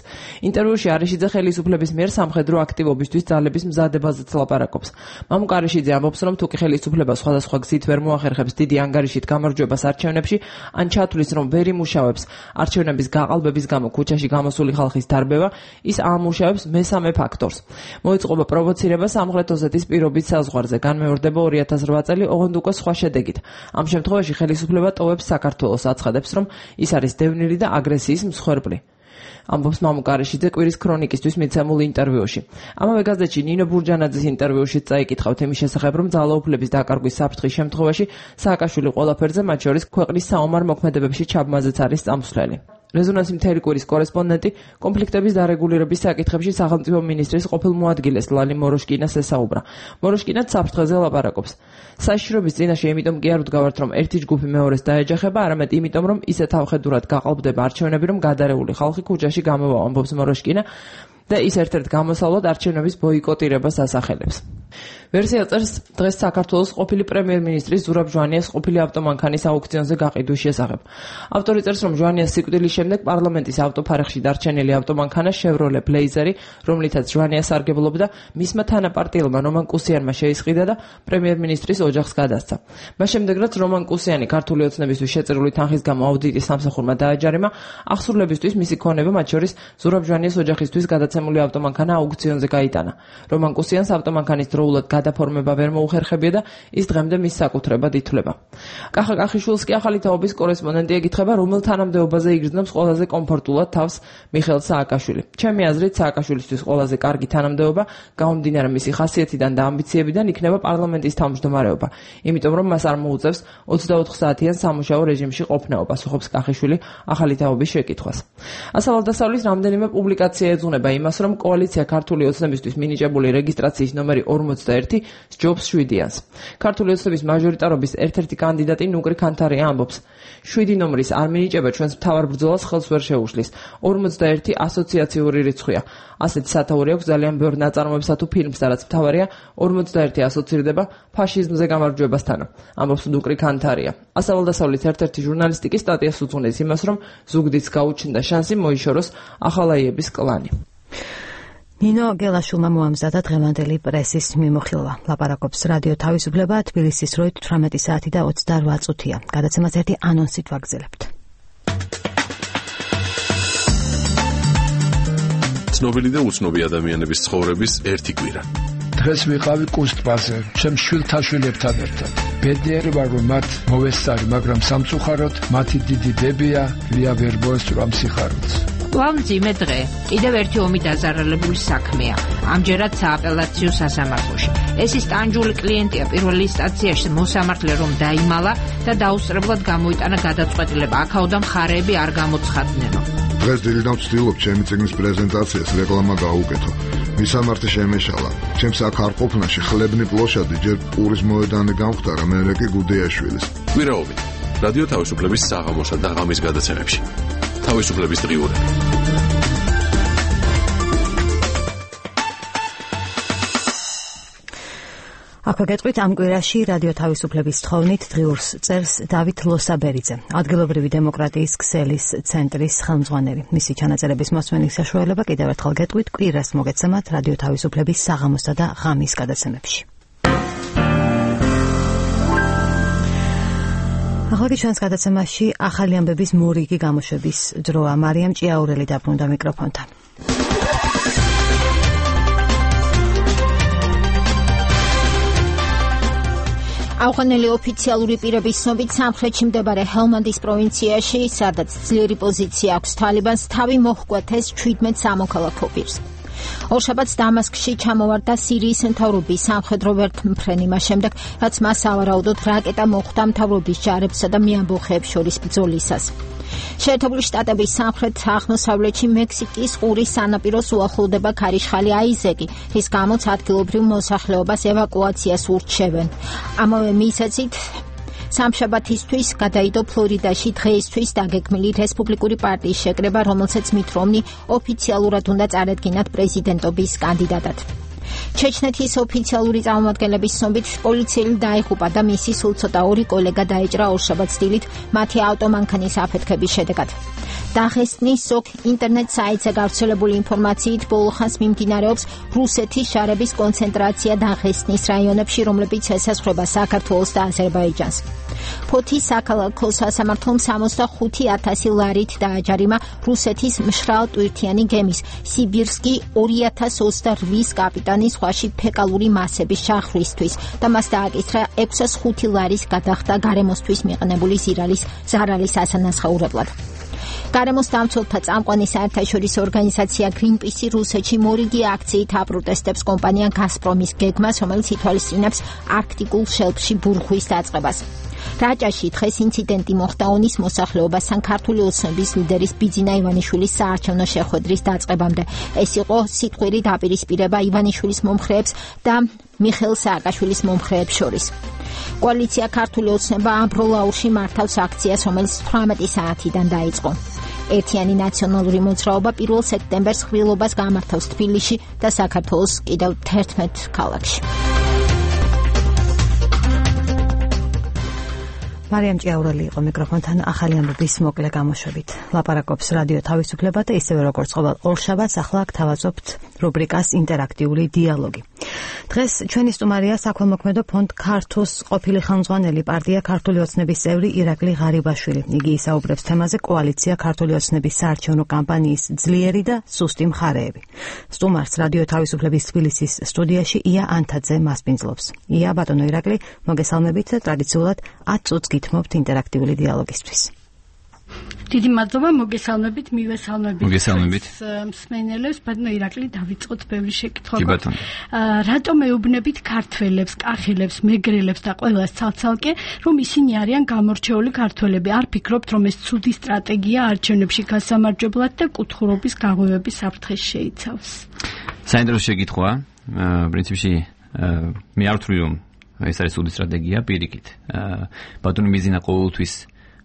ინტერვიუში არეშიძე ხელისუფლების მიერ სამხედრო აქტივობისთვის ძალების მზადებაზეც ლაპარაკობს. მამუკა არეშიძე ამბობს, რომ თუკი ხელისუფლება სხვადასხვა გზით ვერ მოახერხებს დიდი ანგარიშით გამარჯვებას არჩევნებში, ან ჩათვლის, რომ ვერ იმუშავებს არჩევნების გაყალბების გამო ქუჩაში გამოსული ხალხის დარბევა, ის ამუშავებს მესამე ფაქტორს. მოიწყობა პროვოცირება სამხრეთ ოსეთის პირობით საზღვარზე, განმეორდება 2008 წელი, ოღონდ უკვე სხვა შედეგით. ამ შემთხვევაში ხელისუფლება ტოვებს საქართველოს, აცხადებს, რომ ის არის დევნილი და აგრესიის მსხვერპლი. ამბობს მამუკა არეშიძე კვირის ქრონიკისთვის მიცემულ ინტერვიუში. ამავე გაზეთში ნინო ბურჯანაძის ინტერვიუში წაიკითხავთ იმის შესახებ, რომ ძალაუფლების დაკარგვის საფრთხის შემთხვევაში სააკაშვილი ყველაფერზე, მათ შორის ქვეყნის საომარ მოქმედებებში ჩაბმაზეც არის წამსვლელი. რეზონანსი მთელი კვირის კორესპონდენტი კონფლიქტების დარეგულირების საკითხებში სახელმწიფო მინისტრის ყოფილ მოადგილეს ლალი მოროშკინას ესაუბრა. მოროშკინაც საფრთხეზე ლაპარაკობს. საშიშროების წინაშე იმიტომ კი არ ვდგავართ, რომ ერთი ჯგუფი მეორეს დაეჯახება, არამედ იმიტომ, რომ ისე თავხედურად გაყალბდება არჩევნები, რომ გადარეული ხალხი ქუჩაში გამოვა, ამბობს მოროშკინა და ის ერთ-ერთ გამოსავლად არჩევნების ბოიკოტირებას ასახელებს. ვერსია წერს დღეს საქართველოს ყოფილი პრემიერ-მინისტრის ზურაბ ჟვანიას ყოფილი ავტომანქანის აუქციონზე გაყიდვის შესახებ. ავტორი წერს, რომ ჟვანიას სიკვდილის შემდეგ პარლამენტის ავტოფარეხში დარჩენილი ავტომანქანა Chevrolet Blazer-ი, რომლითაც ჟვანია სარგებლობდა, მისმა თანაპარტიელმა რომან კუსიანმა შეისყიდა და პრემიერ-მინისტრის ოჯახს გადასცა. მას შემდეგ, რაც რომან კუსიანი ქართული ოცნებისთვის შეწირული თანხის გამო აუდიტის სამსახურმა დააჯარიმა, აღსრულებისთვის მისი ქონება, მათ შორის ზურაბ ჟვანიას ოჯახისთვის გადაცემული ავტომანქანა აუქციონზე გაიტანა. რომან კუსიანს ავტომანქანის დროულად გადაფორმება ვერ მოუხერხებია და ის დღემდე მის საკუთრებად ითვლება. კახა კახიშვილს კი ახალი თაობის კორესპონდენტი ეკითხება, რომელ თანამდებობაზე იგრძნობს ყველაზე კომფორტულად თავს მიხეილ სააკაშვილი. ჩემი აზრით, სააკაშვილისთვის ყველაზე კარგი თანამდებობა, გამომდინარე მისი ხასიათიდან და ამბიციებიდან, იქნება პარლამენტის თავმჯდომარეობა, იმიტომ რომ მას არ მოუწევს 24 საათიან სამუშაო რეჟიმში ყოფნა, პასუხობს კახიშვილი ახალი თაობის შეკითხვას. ასალადასავლის რამდენიმე პუბლიკაცია ეძღვნება იმას, რომ კოალიცია ქართული ოცნებისთვის მინიჭებული რეგისტრაციის ნომერი 41 სჯობს 7-იანს. ქართული ოცნების მაჟორიტარობის ერთ-ერთი კანდიდატი ნუკრი ქანთარია ამბობს, 7 ნომრის არ მინიჭება ჩვენს მთავარ ბრძოლას ხელს ვერ შეუშლის. 41 ასოციაციური რიცხვია. ასეთი სათაური აქვს ძალიან ბევრ ნაწარმოებსა თუ ფილმს, რაც მთავარია 41 ასოცირდება ფაშიზმზე გამარჯვებასთან, ამბობს ნუკრი ქანთარია. ასავლდასავლის ერთ-ერთი ჟურნალისტი კი სტატიას უძღვნის იმას, რომ ზუგდიდს გაუჩნდა შანსი მოიშოროს ახალაიების კლანი. ნინო გელაშვილმა მოამზადა დღევანდელი პრესის მიმოხილვა. ლაპარაკობს რადიო თავისუფლება, თბილისის დროით 18 საათი და 28 წუთია. გადაცემას ერთი ანონსით ვაგრძელებთ. ცნობილი და უცნობი ადამიანების ცხოვრების ერთი კვირა. დღეს ვიყავი კუსტბაზე, ჩემ შვილთაშვილებთან ერთად. ბედნიერი ვარ, რომ მათ მოვესწარი, მაგრამ სამწუხაროდ მათი დიდი დებია, ვია ვერ მოესწრამ სიხარულს. მძიმე დღე. კიდევ ერთი ომი დაზარალებული საქმეა. ამჯერად სააპელაციო სასამართლოში. ეს ის ტანჯული კლიენტია პირველი ინსტანციაში მოსამართლე რომ დაიმალა და დაუსწრებლად გამოიტანა გადაწყვეტილება. აქაოდან მხარეები არ გამოცხადნენო. დღეს დილიდან ვცდილობ ჩემი წიგნის პრეზენტაციას რეკლამა გაუკეთო. მისამართი შემეშალა. ჩემს აქ არ ყოფნაში ხლებნი პლოშადი ჯერ პურის მოედანი გამختარა, მერე კი გუდეაშვილის. კვირაობი. რადიო თავისუფლების საღამოსა და ღამის გადაცემებში. თავისუფლების დღიურები. აქვე გეტყვით ამ კვირაში რადიო თავისუფლების თხოვნით დღიურს წერს დავით ლოსაბერიძე, ადგილობრივი დემოკრატიის ქსელის ცენტრის ხელმძღვანელი. მისი ჩანაწერების მოსმენის საშუალება კიდევ ერთხელ გეტყვით კვირას მოგეცემათ რადიო თავისუფლების საღამოსა და ღამის გადაცემებში. ახლა ჩვენს გადაცემაში ახალი ამბების მორიგი გამოშვების დროა. მარიამ ჭიაურელი დაბრუნდა მიკროფონთან. ავღანელი ოფიციალური პირების ცნობით სამხრეთში მდებარე ჰელმანდის პროვინციაში, სადაც ძლიერი პოზიცია აქვს თალიბანს, თავი მოჰკვეთეს 17 სამოქალაქო პირს. ორშაბათს დამასკში ჩამოვარდა სირიის მთავრობის სამხედრო ვერტმფრენი მას შემდეგ, რაც მას სავარაუდოდ რაკეტა მოხვდა მთავრობის ჯარებსა და მეამბოხეებს შორის ბრძოლისას. შეერთებული შტატების სამხრეთ-აღმოსავლეთში მექსიკის ყურის სანაპიროს უახლოვდება ქარიშხალი აიზეკი, რის გამოც ადგილობრივ მოსახლეობას ევაკუაციას ურჩევენ. ამავე მიზეზით სამშაბათისთვის გადაიდო ფლორიდაში დღეისთვის დაგეგმილი რესპუბლიკური პარტიის შეკრება, რომელსაც მით რომნი ოფიციალურად უნდა წარედგინათ პრეზიდენტობის კანდიდატად. ჩეჩნეთის ოფიციალური წარმომადგენლების ცნობით პოლიციელი დაიღუპა და მისი სულ ცოტა 2 კოლეგა დაეჭრა ორშაბათს დილით მათი ავტომანქანის აფეთქების შედეგად. დაღესტნის ზოგ ინტერნეტ საიტზე გავრცელებული ინფორმაციით ბოლოხანს მიმდინარეობს რუსეთის შარების კონცენტრაცია დაღესტნის რაიონებში, რომლებიც ესაზღვრება საქართველოს და აზერბაიჯანს. ფოთის საქალაქო სასამართლომ 65,000 ლარით დააჯარიმა რუსეთის მშრალ ტვირთიანი გემის სიბირსკი 2028 კაპიტანის ზღვაში ფეკალური მასების შახრისთვის და მას დააკისრა 605 ლარის გადახდა გარემოსთვის მიყენებული ზარალის ასანაცვლებლად. გარემოს დამცველთა წამყვანი საერთაშორისო ორგანიზაცია გრინპისი რუსეთში მორიგი აქციით აპროტესტებს კომპანია გაზპრომის გეგმას, რომელიც ითვალისწინებს არქტიკულ შელფში ბურღვის დაწყებას. რაჭაში დღეს ინციდენტი მოხდა ონის მოსახლეობასთან ქართული ოცნების ლიდერის ბიძინა ივანიშვილის საარჩევნო შეხვედრის დაწყებამდე. ეს იყო სიტყვიერი დაპირისპირება ივანიშვილის მომხრეებს და მიხეილ სააკაშვილის მომხრეებს შორის. კოალიცია ქართული ოცნება ამბროლაურში მართავს აქციას, რომელიც 18 საათიდან დაიწყო. ერთიანი ნაციონალური მოძრაობა 1 სექტემბერს ხვრილობას გამართავს თბილისში და საქართველოს კიდევ 11 ქალაქში. მარიამ ჭიაურელი იყო მიკროფონთან ახალი ამბების მოკლე გამოშვებით. ლაპარაკობს რადიო თავისუფლება და ისევე როგორც ყოველ ორშაბათს ახლა გთავაზობთ რუბრიკას ინტერაქტიული დიალოგი. დღეს ჩვენი სტუმარია საქველმოქმედო ფონდ ქართოს ყოფილი ხელმძღვანელი პარტია ქართული ოცნების წევრი ირაკლი ღარიბაშვილი. იგი ისაუბრებს თემაზე კოალიცია ქართული ოცნების საარჩევნო კამპანიის ძლიერი და სუსტი მხარეები. სტუმარს რადიო თავისუფლების თბილისის სტუდიაში ია ანთაძე მასპინძლობს. ია, ბატონო ირაკლი, მოგესალმებით და ტრადიციულად 10 წუთს გითმობთ ინტერაქტიული დიალოგისთვის. დიდი მადლობა, მოგესალმებით, მივესალმებით მსმენელებს, ბატონო ირაკლი, დავიწყოთ ბევრი შეკითხვა. რატომ ეუბნებით ქართველებს, კახელებს, მეგრელებს და ყველას ცალ-ცალკე, რომ ისინი არიან გამორჩეული ქართველები? არ ფიქრობთ, რომ ეს ცუდი სტრატეგია არჩევნებში გასამარჯვებლად და კუთხურობის გაღვივების საფრთხეს შეიცავს? საინტერესო შეკითხვაა. პრინციპში მე არ ვთვლი, რომ ეს არის ცუდი სტრატეგია, პირიქით. ბატონი მიზინა ყოველთვის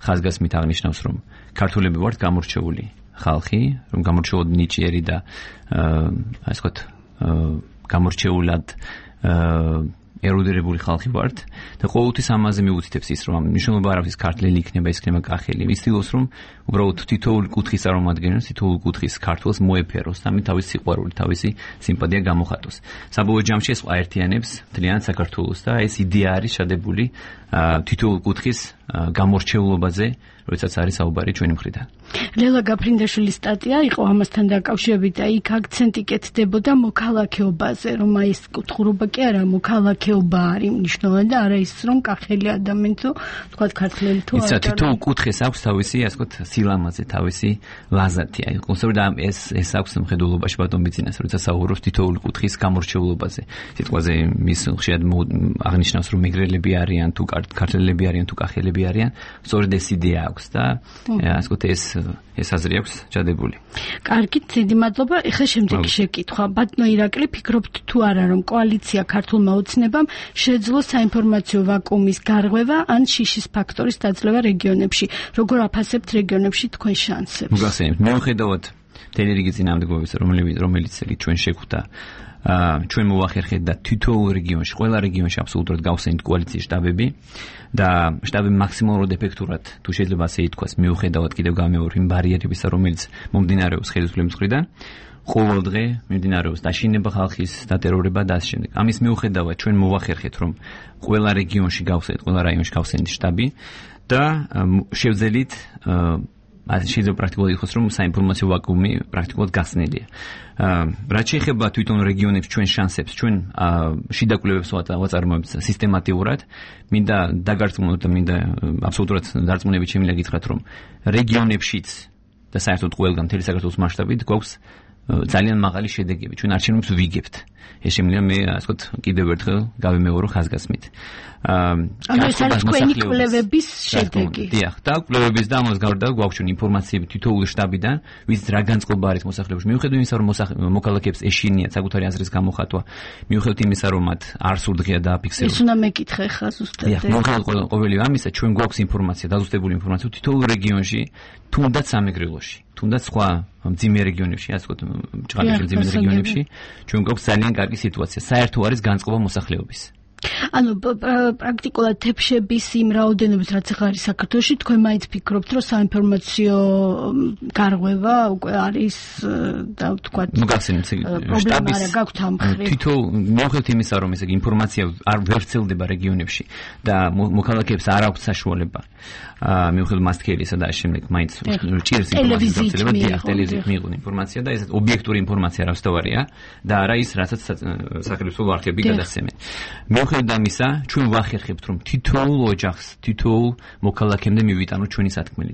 ხაზგასმით აღნიშნავს, რომ ქართველები ვართ გამორჩეული ხალხი, რომ გამორჩეულად ნიჭიერი და ასე ვთქვათ, გამორჩეულად ერუდირებული ხალხი ვართ და ყოველთვის ამაზე მიუთითებს ის, რომ მნიშვნელობა არ აქვს ქართველი იქნება, ის იქნება კახელი. მისცდილოს, რომ უბრალოდ თითოეული კუთხის წარმომადგენელს, თითოეული კუთხის ქართველს მოეფეროს და ამით თავისი სიყვარული, თავისი სიმპათია გამოხატოს. საბოლოო ჯამში ეს აერთიანებს მთლიანად საქართველოს და ეს იდეა არის შადებული თითოეული კუთხის გამორჩეულობაზე, როდესაც არის საუბარი ჩვენი მხრიდან. ლელა გაფრინდაშვილის სტატია იყო ამასთან დაკავშირებით და იქ აქცენტი კეთდებოდა მოქალაქეობაზე, რომ აი ეს კუთხურობა კი არა, მოქალაქეობა არის მნიშვნელოვანი და არა ის, რომ კახელი ადამიანი თუ თქვა ქართველი თუ არა. თითოეულ კუთხეს აქვს თავისი, ასე ვთქვათ, სილამაზე, თავისი ლაზათი. აი კონსერვატ ეს აქვს მხედველობაში ბატონ ბიძინას, როცა საუბრობს თითოეული კუთხის გამორჩეულობაზე. სიტყვაზე მის ხშირად აღნიშნავს, რომ მეგრელები არიან თუ ქართველები არიან თუ კახელები არიან, სწორედ ეს იდეა აქვს და ასე ვთქვათ ეს აზრი აქვს ჩადებული. კარგით, დიდი მადლობა. ეხლა შემდეგი შეკითხვა. ბატონო ირაკლი, ფიქრობთ თუ არა, რომ კოალიცია ქართულმა ოცნებამ შეძლო საინფორმაციო ვაკუუმის გარღვევა ან შიშის ფაქტორის დაძლევა რეგიონებში? როგორ აფასებთ რეგიონებში თქვენ შანსებს? მოგახსენებთ, მიუხედავად მთელი რიგი წინააღმდეგობებისა, რომელიც ჩვენ შეხვდა ჩვენ მოვახერხეთ და თითოეულ რეგიონში, ყველა რეგიონში აბსოლუტურად გავხსენით კოალიციის შტაბები და შტაბები მაქსიმალურად ეფექტურად, თუ შეიძლება ასე ითქვას, მიუხედავად კიდევ გამეორ იმ ბარიერებისა, რომელიც მომდინარეობს ხელისუფლების მხრიდან, ყოველ დღე მიმდინარეობს დაშინება ხალხის, დატერორება და ასე შემდეგ. ამის მიუხედავად ჩვენ მოვახერხეთ, რომ ყველა რეგიონში გავხსენით, ყველა რაიონში გავხსენით შტაბი და შევძელით შეიძლება პრაქტიკულად იყოს, რომ საინფორმაციო ვაკუუმი პრაქტიკულად გახსნილია. რაც შეეხება თვითონ რეგიონებს, ჩვენ შანსებს, ჩვენ შიდა კვლევებს ვაწარმოებთ სისტემატიურად, მინდა დაგარწმუნოთ და მინდა აბსოლუტურად დარწმუნებით შემიძლია გითხრათ, რომ რეგიონებშიც და საერთოდ ყველგან მთელი საქართველოს მასშტაბით გვაქვს ძალიან მაღალი შედეგები. ჩვენ არჩევნებს ვიგებთ. ეს შემიძლია მე ასე ვთქვათ კიდევ ერთხელ გავიმეორო ხაზგასმით. ანუ ეს არის თქვენი კვლევების შედეგი. დიახ, და კვლევების და ამას გარდა გვაქვს ჩვენ ინფორმაციები თითოეული შტაბიდან, ვიცით რა განწყობა არის მოსახლეობაში. მიუხედავად იმისა, რომ მოქალაქეებს ეშინიათ საკუთარი აზრის გამოხატვა, მიუხედავად იმისა, რომ მათ არ სურდღია დააფიქსირონ. ეს უნდა მეკითხე ხა ზუსტად. დიახ, მიუხედავად ყოველი ამისა, ჩვენ გვაქვს ინფორმაცია, დაზუსტებული ინფორმაცია თითოეულ რეგიონში, თუნდაც სამეგრელოში, თუნდაც სხვა მძიმე რეგიონებში, ასე ვთქვათ, ჭყალიშვილ მძიმე რეგიონებში, ჩვენ გვაქვს ძალიან კარგი სიტუაცია. საერთო არის განწყობა მოსახლეობის. ანუ პრაქტიკულად თეფშების იმ რაოდენობით რაც ახლა არის საქართველოში, თქვენ მაინც ფიქრობთ, რომ საინფორმაციო გარღვევა უკვე არის და ვთქვათ, მოგახსენებთ შტაბის გაქვთ ამ მხრივ. თითოეულ მიუხედავად იმისა, რომ ესე იგი ინფორმაცია არ ვერცელდება რეგიონებში და მოქალაქეებს არ აქვს საშუალება მიუხედავად მასტკერისა და შემდეგ მაინც ჭირს ტელევიზიით მიიღონ ინფორმაცია და ეს ობიექტური ინფორმაცია რასთავარია და არა ის, რასაც სახელმწიფო არხები გადასცემენ. მიუხედავად ამისა, ჩვენ ვახერხებთ, რომ თითოეულ ოჯახს, თითოეულ მოქალაქემდე მივიტანოთ ჩვენი სათქმელი,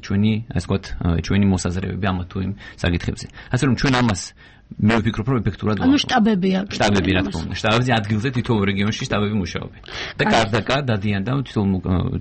ასე ვთქვათ, ჩვენი მოსაზრებები ამ თუ იმ საკითხებზე. ასე რომ ჩვენ ამას მე ვფიქრობ, რომ ეფექტურად ანუ შტაბები აქვს. შტაბები რა თქმა უნდა. შტაბებზე ადგილზე თითოეულ რეგიონში შტაბები მუშაობენ. და კარდაკა დადიან და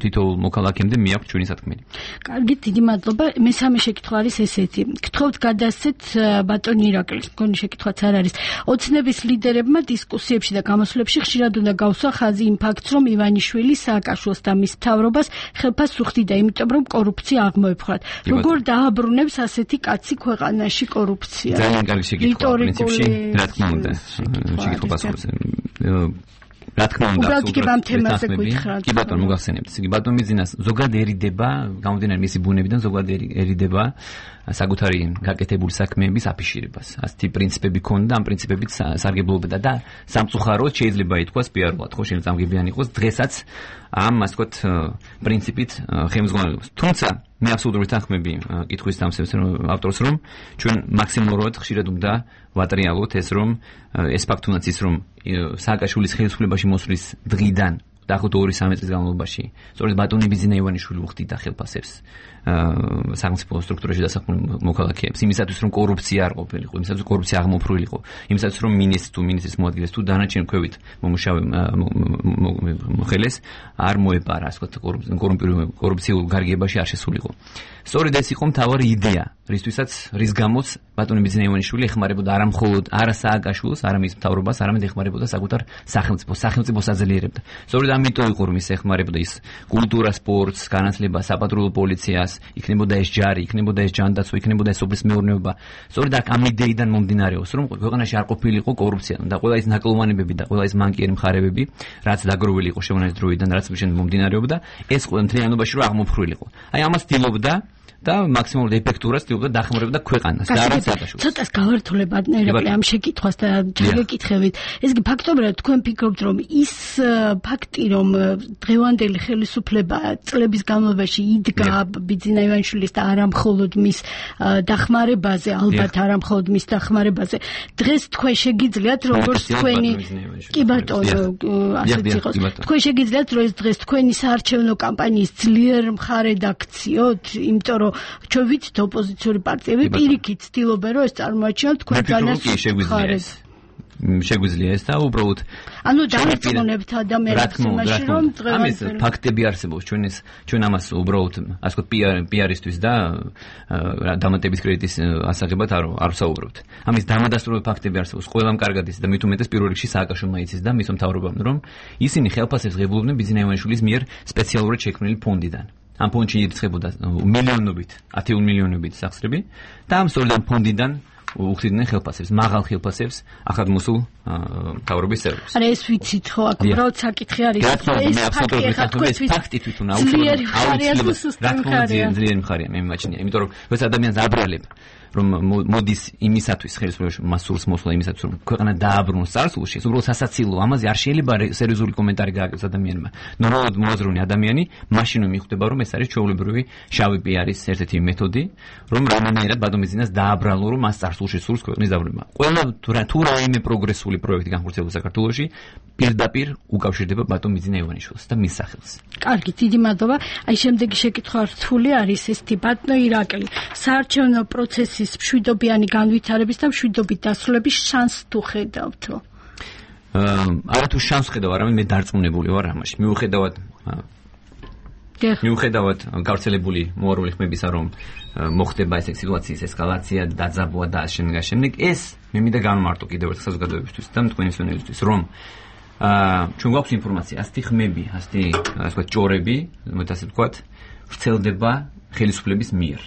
თითოეულ მოქალაქემდე მიაქვს ჩვენი სათქმელი. კარგი, დიდი მადლობა. მესამე შეკითხვა არის ესეთი. გთხოვთ გადასცეთ ბატონ ირაკლის, მგონი შეკითხვაც არ არის. ოცნების ლიდერებმა დისკუსიებში და გამოსვლებში ხშირად უნდა გავსვა ხაზი იმ ფაქტს, რომ ივანიშვილი სააკაშვილს და მის მთავრობას ხელფასს უხდიდა, იმიტომ რომ კორუფცია აღმოეფხვრათ. როგორ დააბრუნებს ასეთი კაცი ქვეყანაში კორუფცია? ძალიან კარგი შეკითხვა. პრინციპში, რა თქმა უნდა, შეკითხვა პასუხობს. რა თქმა უნდა, უბრალოდ თემაზე გითხრათ. კი ბატონო, მოგახსენებთ. იგი ბატონ მიძინას ზოგადადერიდება, გამომდინარე მისი ბუნებიდან ზოგადადერიდება საკუთარი გაკეთებული საქმეების აფიშირებას. ასეთი პრინციპები ქონდა, ამ პრინციპებით სარგებლობდა და სამწუხაროდ შეიძლება ითქვას პიარულად, ხო, შეიძლება წამგებიანი იყოს დღესაც ამ, ასე ვთქვათ, პრინციპით ხელმძღვანელობს. თუმცა მე აბსოლუტური თანხმები კითხვის დამსევს ავტორს, რომ ჩვენ მაქსიმალურად ხშირად უნდა ვატრიალოთ ეს, რომ ეს ფაქტი უნდა ის, რომ სააკაშვილის ხელისუფლებაში მოსვლის დღიდან დაახლოებით 2-3 წლის განმავლობაში სწორედ ბატონი ბიზინა ივანიშვილი უხდიდა ხელფასებს სახელმწიფო სტრუქტურაში დასახმულ მოქალაქეებს, იმისათვის რომ კორუფცია არ ყოფილიყო, იმისათვის რომ კორუფცია აღმოფრვილიყო, იმისათვის რომ მინისტრის მოადგილეს თუ დანარჩენ ქვევით მომუშავე მოხელეს არ მოეპარა, ასე ვთქვათ, კორუფციულ გარიგებაში არ შესულიყო. სწორედ ეს იყო მთავარი იდეა, რის გამოც ბატონი ბიზინა ივანიშვილი ეხმარებოდა არა მხოლოდ სააკაშვილს, არა მის მთავრობას, არამედ ეხმარებოდა საკუთარ სახელმწიფოს აძლიერებდა. სწორედ ამიტომ იყო რომ ის ეხმარებოდა ის კულტურას, სპორტს, განათლებას, საპატრულო პოლიციას, იქნებოდა ეს ჯარი, იქნებოდა ეს ჯანდაცვა, იქნებოდა ეს სოფლის მეურნეობა. სწორედ ამ იდეიდან მომდინარეობს, რომ ქვეყანაში არ ყოფილიყო კორუფცია და ყველა ის ნაკლოვანებები და ყველა ის მანკიერი მხარებები, რაც დაგროვილი იყო შემონახეთ დროიდან, რაც შემდეგ მომდინარეობდა, ეს ყველა მთლიანობაში რომ აღმოფრვილიყო. აი ამას ცდილობდა და მაქსიმალურად ეფექტურად ცდილობდა დახმარებოდა ქვეყანას და არა სააკაშვილს. ცოტას გავართულებ ირაკლი ამ შეკითხვას და შეგეკითხებით. ეს კი ფაქტობრივად თქვენ ფიქრობთ, რომ ის ფაქტი, რომ დღევანდელი ხელისუფლება წლების განმავლობაში იდგა ბიძინა ივანიშვილის და არა მხოლოდ მის დახმარებაზე, ალბათ არა მხოლოდ მის დახმარებაზე, დღეს თქვენ შეგიძლიათ როგორც თქვენი კი ბატონო, ასეც იყოს. თქვენ შეგიძლიათ რომ ეს დღეს თქვენი საარჩევნო კამპანიის ძლიერ მხარე დაქციოთ, იმიტომ რომ ჩვენ ვიცით ოპოზიციური პარტიები პირიქით ცდილობენ რომ ეს წარმოაჩინოთ თქვენ ძალიან მხარეს. შეგვიძლია ეს და უბრალოდ ანუ დაერწმუნებთ ადამიანებს იმაში რომ ამის ფაქტები არსებობს ჩვენ ამას უბრალოდ ასე ვთქვათ პიარისთვის და დამატების კრედიტის ასაღებად არ ვსაუბრობთ. ამის დამადასტურებელი ფაქტები არსებობს ყველამ კარგად იცის და მით უმეტეს პირველ რიგში სააკაშვილმა იცის და მის მთავრობამ რომ ისინი ხელფასებს ღებულობდნენ ბიძინა ივანიშვილის მიერ სპეციალურად შექმნილი ფონდიდან. ამ ფონდში ირიცხებოდა მილიონობით, 10 მილიონობით სახსრები და ამ სწორედ ამ ფონდიდან უხდიდნენ ხელფასებს, მაღალ ხელფასებს ახალგაზრდულ მთავრობის წევრებს. არა ეს ვიცით ხო, აქ უბრალოდ საკითხი არის. ეს ფაქტი თვითონ აუცილებელი მხარია, მე მიმაჩნია, იმიტომ რომ ეს ადამიანს აბრალებ რომ მოდის იმისათვის ხელისუფლებაში მასურს მოსვლა იმისათვის რომ ქვეყანა დააბრუნოს წარსულში, ეს უბრალოდ სასაცილო, ამაზე არ შეიძლება სერიოზული კომენტარი გააკეთოს ადამიანმა. ნორმალურად მოაზროვნე ადამიანი, მაშინ მიხვდება რომ ეს არის ჩვეულებრივი შავი პიარის ერთ-ერთი მეთოდი, რომ რომელნაირად ბატონბიზნეს დააბრალო რომ მას წარსულში სურს ქვეყნის დაბრუნება. ყველა თუ რაიმე პროგრესული პროექტი განხორციელდება საქართველოში, პირდაპირ უკავშირდება ბატონბიზნე ივანიშვილს და მის სახელს. კარგი, დიდი მადლობა. აი შემდეგი შეკითხვა რთული არის ესეთი ბატონო ირაკლი, საარჩევნო პროცესის მშვიდობიანი განვითარების და მშვიდობით დასრულების შანსს თუ ხედავთო? არა თუ შანსს ხედავ, არამედ მე დარწმუნებული ვარ ამაში. მიუხედავად გავრცელებული მოარული ხმებისა, რომ მოხდება ეს სიტუაციის ესკალაცია, დაძაბვა და შემდეგ ეს მე მინდა განმარტო კიდევ ერთხელ საზოგადოებისთვის და თქვენი მსმენელისთვის, რომ ჩვენ გვაქვს ინფორმაცია, ასეთი ხმები, ასე ვთქვათ, ჭორები, ასე ვთქვათ, ვრცელდება ხელისუფლების მიერ.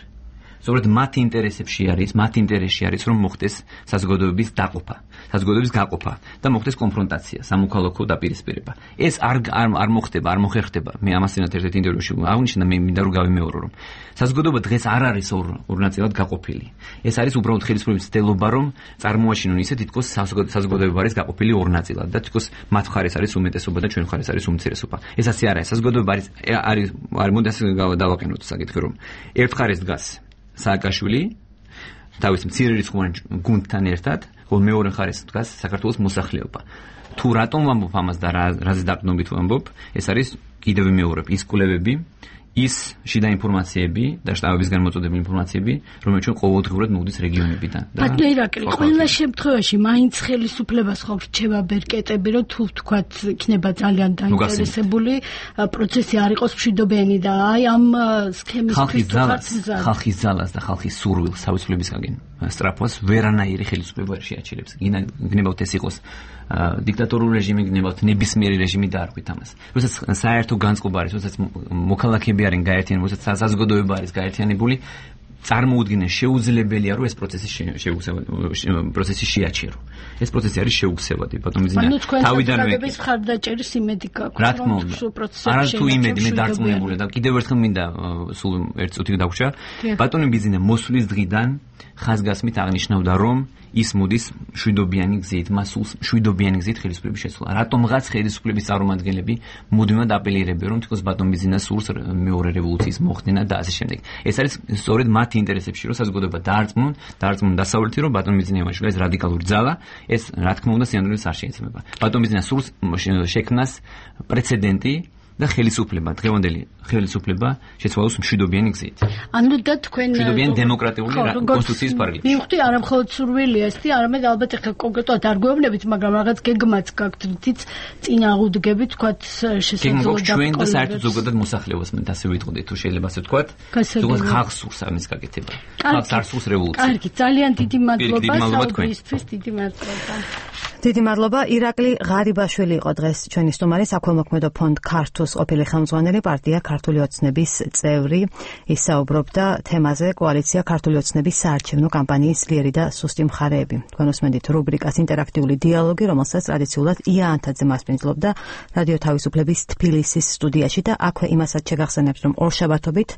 სწორედ მათ ინტერესებში არის, რომ მოხდეს საზოგადოების გაყოფა და მოხდეს კონფრონტაცია, სამოქალაქო დაპირისპირება. ეს არ მოხდება, არ მოხერხდება. მე ამასთანავე ერთ-ერთ ინტერვიუში აღნიშნა, მე მინდა რომ გავიმეორო, რომ საზოგადოება დღეს არ არის ორ ნაწილად გაყოფილი. ეს არის უბრალოდ ხელისუფლების ცდელობა, რომ წარმოაჩინონ ისე თითქოს საზოგადოება არის გაყოფილი ორ ნაწილად და თითქოს მათ მხარეს არის უმეტესობა და ჩვენ მხარეს არის უმცირესობა. ეს ასე არ არის. საზოგადოება არის მოდი ასე დავაყენოთ საკითხი, რომ ერთ მხარეს დგას სააკაშვილი თავის მცირე რიცხვოვან გუნდთან ერთად, ხოლო მეორე მხარეს დგას საქართველოს მოსახლეობა. თუ რატომ ვამბობ ამას და რაზე დაყრდნობით ვამბობ, ეს არის კიდევ ვიმეორებ ის კვლევები, ის შიდა ინფორმაციები და შტაბებისგან მოწოდებული ინფორმაციები, რომელიც ჩვენ ყოველდღიურად მოვდის რეგიონებიდან. ბატონო ირაკლი, ყველა შემთხვევაში მაინც ხელისუფლებას ხო რჩება ბერკეტები, რომ თუ ვთქვათ, იქნება ძალიან დაინტერესებული პროცესი არ იყოს მშვიდობიანი და აი ამ სქემისთვის ხალხის ძალას და ხალხის სურვილს თავისუფლებისგან სწრაფვას ვერანაირი ხელისუფლება არ შეაჩერებს. გნებავთ ეს იყოს დიქტატორული რეჟიმი, გნებავთ ნებისმიერი რეჟიმი და არ ვით ამას. როდესაც საერთო განწყობა არის, როდესაც მოქალაქეები არიან გაერთიანებული, როდესაც საზოგადოება არის გაერთიანებული, წარმოუდგენელ შეუძლებელია რომ ეს პროცესი შეაჩერო. ეს პროცესი არის შეუგზავადი. ბატონბიზნე თავიდანვე ხარდაჭერის იმედი გაქვს. რა თქმა უნდა. არა თუ იმედი, მე დარწმუნებული და კიდევ ერთხელ მინდა სულ ერთ წუთი დაგვჭა. ბატონბიზნე მოსვლის დღიდან ხაზგასმით აღნიშნავდა რომ ის მოდის მშვიდობიანი გზით, მასულს მშვიდობიანი გზით ხელისუფლების შეცვლა. რატომღაც ხელისუფლების წარმომადგენლები მუდმივად აპელირებენ რომ თქოს ბატონბიზნეს სურს მეორე რევოლუციის მოხდენა და ასე შემდეგ. ეს არის სწორედ მათი ინტერესებში, რომ საზოგადოება დაარწმუნონ დასავლეთი, რომ ბატონბიზნე ევანიშვილი ეს რადიკალური ძალა, ეს რა თქმა უნდა სინამდვილეს არ შეეცემა. ბატონბიზნეს სურს შექმნას პრეცედენტი და დღევანდელი ხელისუფლება შეცვალოს მშვიდობიანი გზით. ანუ და თქვენ მშვიდობიანი დემოკრატიული კონსტიტუციის პარალელში. მივხვდი, არა მხოლოდ სურვილია ესეთი, არამედ ალბათ ახლა კონკრეტულად არ გვეუბნებით, მაგრამ რაღაც გეგმაც გაქვთ, რითიც წინ აღუდგებით, თქვათ შესაძლებლობა ჩვენ და საერთოდ ზოგადად მოსახლეობას მე ასე ვიტყოდით, თუ შეიძლება ასე ვთქვათ, ზოგადად ხალხს სურს ამის გაკეთება. ხალხს არ სურს რევოლუცია. კარგი, ძალიან დიდი მადლობა საუბრისთვის, დიდი მადლობა. დიდი მადლობა. ირაკლი ღარიბაშვილი იყო დღეს ჩვენი სტუმარი, საქველმოქმედო ფონდ ქართუს ყოფილი ხელმძღვანელი, პარტია ქართული ოცნების წევრი. ის საუბრობდა თემაზე კოალიცია ქართული ოცნების საარჩევნო კამპანიის ძლიერი და სუსტი მხარეები. თქვენ უსმენთ რუბრიკას ინტერაქტიული დიალოგი, რომელსაც ტრადიციულად ია ანთაძე მასპინძლობდა რადიო თავისუფლების თბილისის სტუდიაში და აქვე იმასაც შეგახსენებთ, რომ ორშაბათობით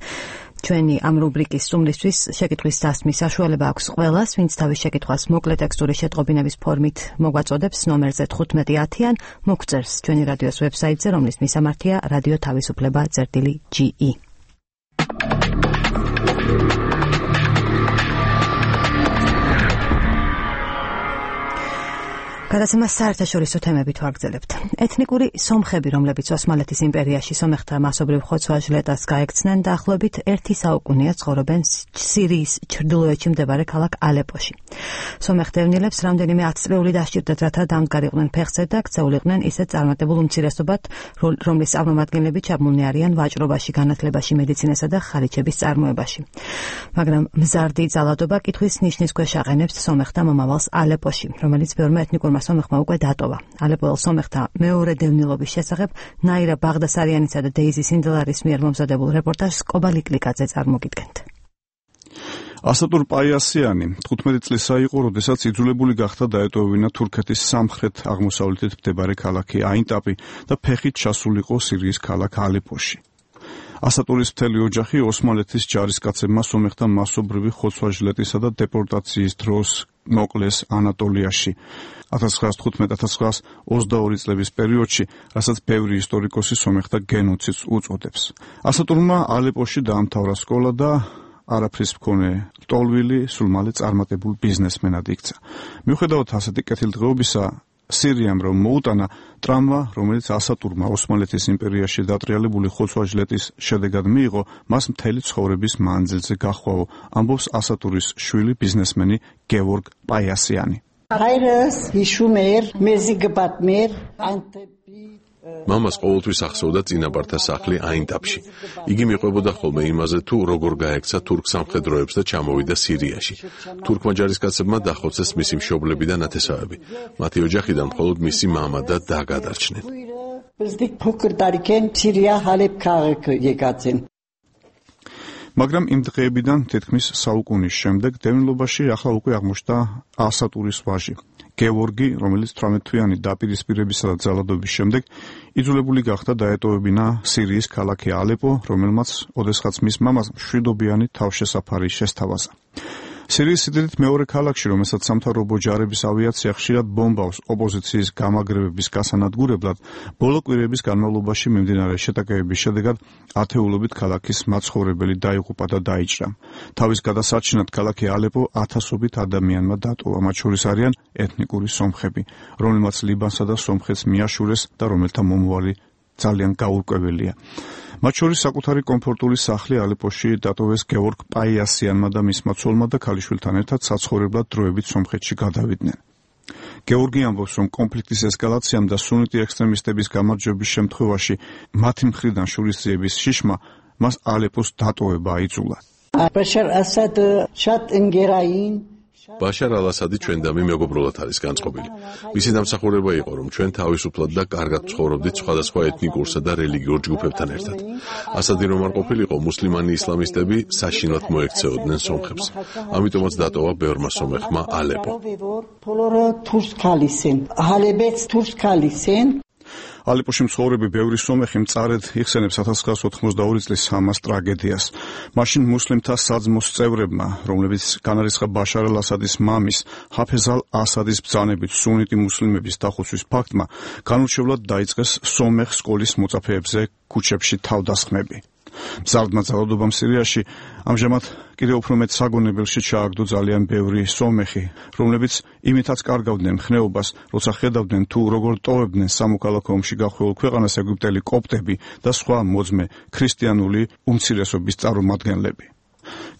ჩვენი ამ რუბრიკის სტუმრისთვის შეკითხვის დასმის საშუალება აქვს ყველას, ვინც თავის შეკითხვას მოკლე ტექსტური შეტყობინების ფორმით მოგვაწოდებს ნომერზე 1510-ან, მოგწერს ჩვენი რადიოს ვებსაიტზე, რომლის მისამართია რადიო თავისუფლება.ge. გადაცემას საერთაშორისო თემებით ვაგრძელებთ. ეთნიკური სომხები, რომლებიც ოსმალეთის იმპერიაში სომეხთა მასობრივ ხოცვა-ჟლეტას გაექცნენ, დაახლოებით 1 საუკუნეა ცხოვრობენ სირიის ჩრდილოეთში მდებარე ქალაქ ალეპოში. სომეხ დევნილებს რამდენიმე 10 წლეული დასჭირდათ, რათა დამდგარიყვნენ ფეხზე და ქცეულიყვნენ ისეთ წარმატებულ უმცირესობად, რომლის წარმომადგენლები ჩაბმულნი არიან ვაჭრობაში, განათლებაში, მედიცინასა და ხარიჩების წარმოებაში. მაგრამ მზარდი ძალადობა კითხვის ნიშნის ქვეშ აყენებს სომეხთა მომავალს ალეპოში, რომელიც ბევრმა ეთნიკურმა სომეხმა უკვე დატოვა. ალეპოელ სომეხთა მეორე დევნილობის შესახებ ნაირა ბაღდასარიანისა და დეიზი სინდლარის მიერ მომზადებულ რეპორტაჟს კობა ლიკლიკაძე წარმოგიდგენთ. ასატურ პაიასიანი 15 წლისა იყო, როდესაც იძულებული გახდა დაეტოვებინა თურქეთის სამხრეთ აღმოსავლეთით მდებარე ქალაქი აინტაპი და ფეხით ჩასულიყო სირიის ქალაქ ალეპოში. ასატურის მთელი ოჯახი ოსმალეთის ჯარისკაცებმა სომეხთა მასობრივი ხოცვა-ჟლეტისა და დეპორტაციის დროს მოკლეს ანატოლიაში 1915-1922 წლების პერიოდში, რასაც ბევრი ისტორიკოსი სომეხთა გენოციდს უწოდებს. ასატურმა ალეპოში დაამთავრა სკოლა და არაფრის მქონე ლტოლვილი სულ მალე წარმატებულ ბიზნესმენად იქცა. მიუხედავად ასეთი კეთილდღეობისა, სირიამ რომ მოუტანა ტრამვა, რომელიც ასატურმა ოსმალეთის იმპერიაში დატრიალებული ხოცვა-ჟლეტის შედეგად მიიღო, მას მთელი ცხოვრების მანძილზე გახვაო, ამბობს ასატურის შვილი ბიზნესმენი გევორგ პაიასიანი. მამას ყოველთვის ახსოვდა წინაპართა სახლი აინტაპში. იგი მიყვებოდა ხოლმე იმაზე, თუ როგორ გაექცა თურქ სამხედროებს და ჩამოვიდა სირიაში. თურქმა ჯარისკაცებმა დახოცეს მისი მშობლები და ნათესავები. მათი ოჯახიდან მხოლოდ მისი მამა და და გადარჩნენ. მაგრამ იმ დღეებიდან თითქმის საუკუნის შემდეგ დევნილობაში ახლა უკვე აღმოჩნდა ასატურის ვაჟი. გევორგი, რომელიც 18 თვიანი დაპირისპირებისა და ძალადობის შემდეგ იძულებული გახდა დაეტოვებინა სირიის ქალაქი ალეპო, რომელმაც ოდესღაც მის მამას მშვიდობიანი თავშესაფარი შესთავაზა. სირიის სიდიდით მეორე ქალაქში, რომელსაც სამთავრობო ჯარების ავიაცია ხშირად ბომბავს ოპოზიციის გამაგრებების გასანადგურებლად, ბოლო კვირების განმავლობაში მიმდინარე შეტაკებების შედეგად ათეულობით ქალაქის მაცხოვრებელი დაიღუპა და დაიჭრა. თავის გადასარჩენად ქალაქი ალეპო ათასობით ადამიანმა დატოვა, მათ შორის არიან ეთნიკური სომხები, რომელმაც ლიბანსა და სომხეთს მიაშურეს და რომელთა მომავალი ძალიან გაურკვეველია. მათ შორის საკუთარი კომფორტული სახლი ალეპოში დატოვეს გევორგ პაიასიანმა და მისმა ცოლმა და ქალიშვილთან ერთად საცხოვრებლად დროებით სომხეთში გადავიდნენ. გევორგი ამბობს, რომ კონფლიქტის ესკალაციამ და სუნიტი ექსტრემისტების გამარჯვების შემთხვევაში მათი მხრიდან შურისძიების შიშმა მას ალეპოს დატოვება აიძულა. ბაშარ ალ-ასადი ჩვენდამი მეგობრულად არის განწყობილი. მისი დამსახურება იყო, რომ ჩვენ თავისუფლად და კარგად ცხოვრობდით სხვადასხვა ეთნიკურსა და რელიგიურ ჯგუფებთან ერთად. ასადი რომ არ ყოფილიყო, მუსლიმანი ისლამისტები საშინლად მოექცეოდნენ სომხებს. ამიტომაც დატოვა ბევრმა სომეხმა ალეპო. ალეპოში მცხოვრები ბევრი სომეხი მწარედ იხსენებს 1982 წლის ამას ტრაგედიას. მაშინ მუსლიმთა საძმოს წევრებმა, რომლებიც განარისხა ბაშარ ალ-ასადის მამის, ჰაფეზ ალ-ასადის ბრძანებით სუნიტი მუსლიმების დახოცვის ფაქტმა, განურჩევლად დაიწყეს სომეხ სკოლის მოწაფეებზე ქუჩებში თავდასხმები. მზარდმა ძალადობამ სირიაში ამჟამად კიდევ უფრო მეტ საგონებელში ჩააგდო ძალიან ბევრი სომეხი, რომლებიც იმითაც კარგავდნენ ხნეობას, როცა ხედავდნენ თუ როგორ ტოვებდნენ სამოქალაქო ომში გახვეულ ქვეყანას ეგვიპტელი კოპტები და სხვა მოძმე ქრისტიანული უმცირესობის წარმომადგენლები.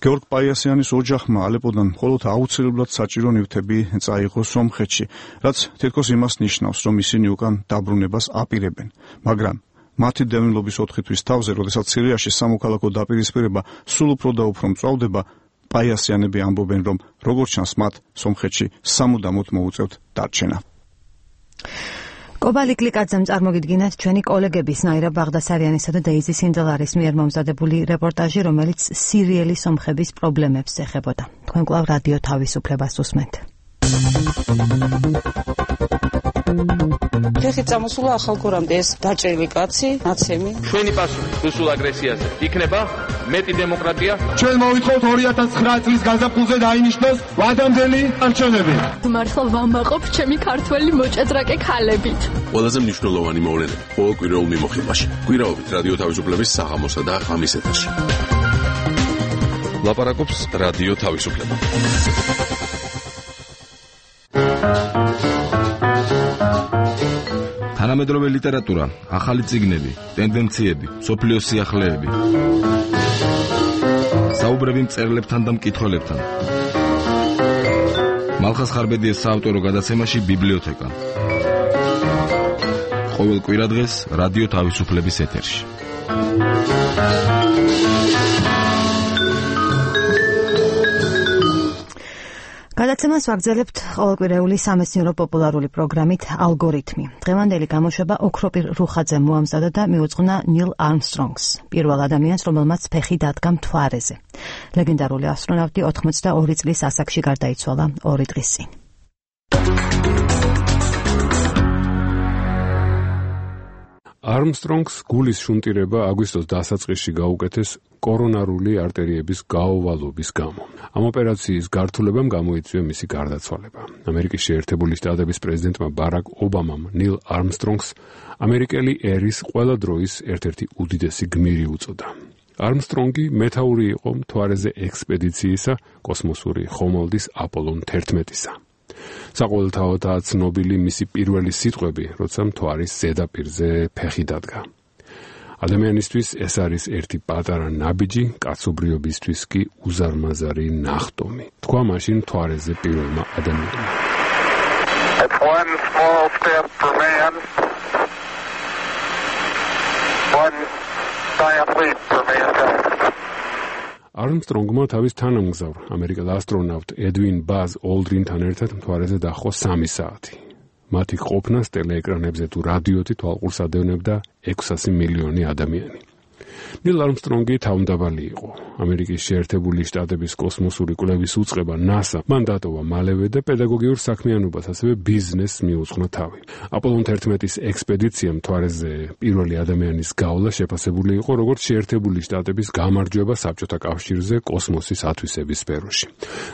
გევორგ პაიასიანის ოჯახმა ალეპოდან მხოლოდ აუცილებლად საჭირო ნივთები წაიღო სომხეთში, რაც თითქოს იმას ნიშნავს, რომ ისინი უკან დაბრუნებას აპირებენ, მაგრამ მათი დევნილობის 4 თვის თავზე, როდესაც სირიაში სამოქალაქო დაპირისპირება სულ უფრო და უფრო მწვავდება, პაიასიანები ამბობენ, რომ როგორც ჩანს მათ სომხეთში სამუდამოდ მოუწევთ დარჩენა. კობალი კლიკაძემ წარმოგიდგინათ ჩვენი კოლეგების ნაირა ბაღდასარიანისა და დეიზი სინძელარის მიერ მომზადებული რეპორტაჟი, რომელიც სირიელი სომხების პრობლემებს ეხებოდა. თქვენ კვლავ რადიო თავისუფლებას უსმენთ. ფეხით წამოსულა ახალგორამდე ეს დაჭრილი კაცი, ნაცემი. ჩვენი პასუხი რუსულ აგრესიაზე იქნება მეტი დემოკრატია. ჩვენ მოვითხოვთ 2009 წლის გაზაფხულზე დაინიშნოს ვადამდელი არჩევნები. მართლა ვამაყობ ჩემი ქართველი მოჭადრაკე ქალებით. ყველაზე მნიშვნელოვანი მოვლენები ყოველ კვირაულ მიმოხილვაში. კვირაობით რადიო თავისუფლების საღამოსა და ღამის ეთერში. ლაპარაკობს რადიო თავისუფლება. თანამედროვე ლიტერატურა, ახალი წიგნები, ტენდენციები, სოფლიოს სიახლეები. საუბრები მწერლებთან და მკითხველებთან. მალხაზ ხარბედიას საავტორო გადაცემაში ბიბლიოთეკა. ყოველ კვირადღეს რადიო თავისუფლების ეთერში. გადაცემას ვაგრძელებთ ყოველკვირეული სამეცნიერო პოპულარული პროგრამით ალგორითმი. დღევანდელი გამოშვება ოქროპირ რუხაძემ მოამზადა და მიუძღვნა ნილ არმსტრონგს, პირველ ადამიანს, რომელმაც ფეხი დადგა მთვარეზე. ლეგენდარული ასტრონავტი 82 წლის ასაკში გარდაიცვალა 2 დღის წინ. არმსტრონგს გულის შუნტირება აგვისტოს დასაწყისში გაუკეთეს კორონარული არტერიების გაოვალობის გამო. ამ ოპერაციის გართულებამ გამოიწვია მისი გარდაცვალება. ამერიკის შეერთებული შტატების პრეზიდენტმა ბარაკ ობამამ ნილ არმსტრონგს ამერიკელი ერის ყველა დროის ერთ-ერთი უდიდესი გმირი უწოდა. არმსტრონგი მეთაური იყო მთვარეზე ექსპედიციისა კოსმოსური ხომალდის აპოლონ 11-ისა. საყოველთაოდაა ცნობილი მისი პირველი სიტყვები, როცა მთვარის ზედაპირზე ფეხი დადგა. ადამიანისთვის ეს არის ერთი პატარა ნაბიჯი, კაცობრიობისთვის კი უზარმაზარი ნახტომი. თქვა მაშინ მთვარეზე პირველმა ადამიანმა. It's one small step for man, one giant leap for mankind. არმსტრონგმა თავის თანამგზავრ ამერიკელ ასტრონავტ ედვინ ბაზ ოლდრინთან ერთად მთვარეზე დაჰყო 3 საათი. მათი ყოფნას ტელეეკრანებზე თუ რადიოთი თვალყურს ადევნებდა 600 მილიონი ადამიანი. ნილ არმსტრონგი თავმდაბალი იყო. ამერიკის შეერთებული შტატების კოსმოსური კვლევის უწყება NASA მან დატოვა მალევე და პედაგოგიურ საქმიანობას, ასევე ბიზნესს მიუძღვნა თავი. აპოლონ 11-ის ექსპედიცია მთვარეზე პირველი ადამიანის გავლა შეფასებული იყო როგორც შეერთებული შტატების გამარჯვება საბჭოთა კავშირზე კოსმოსის ათვისების სფეროში.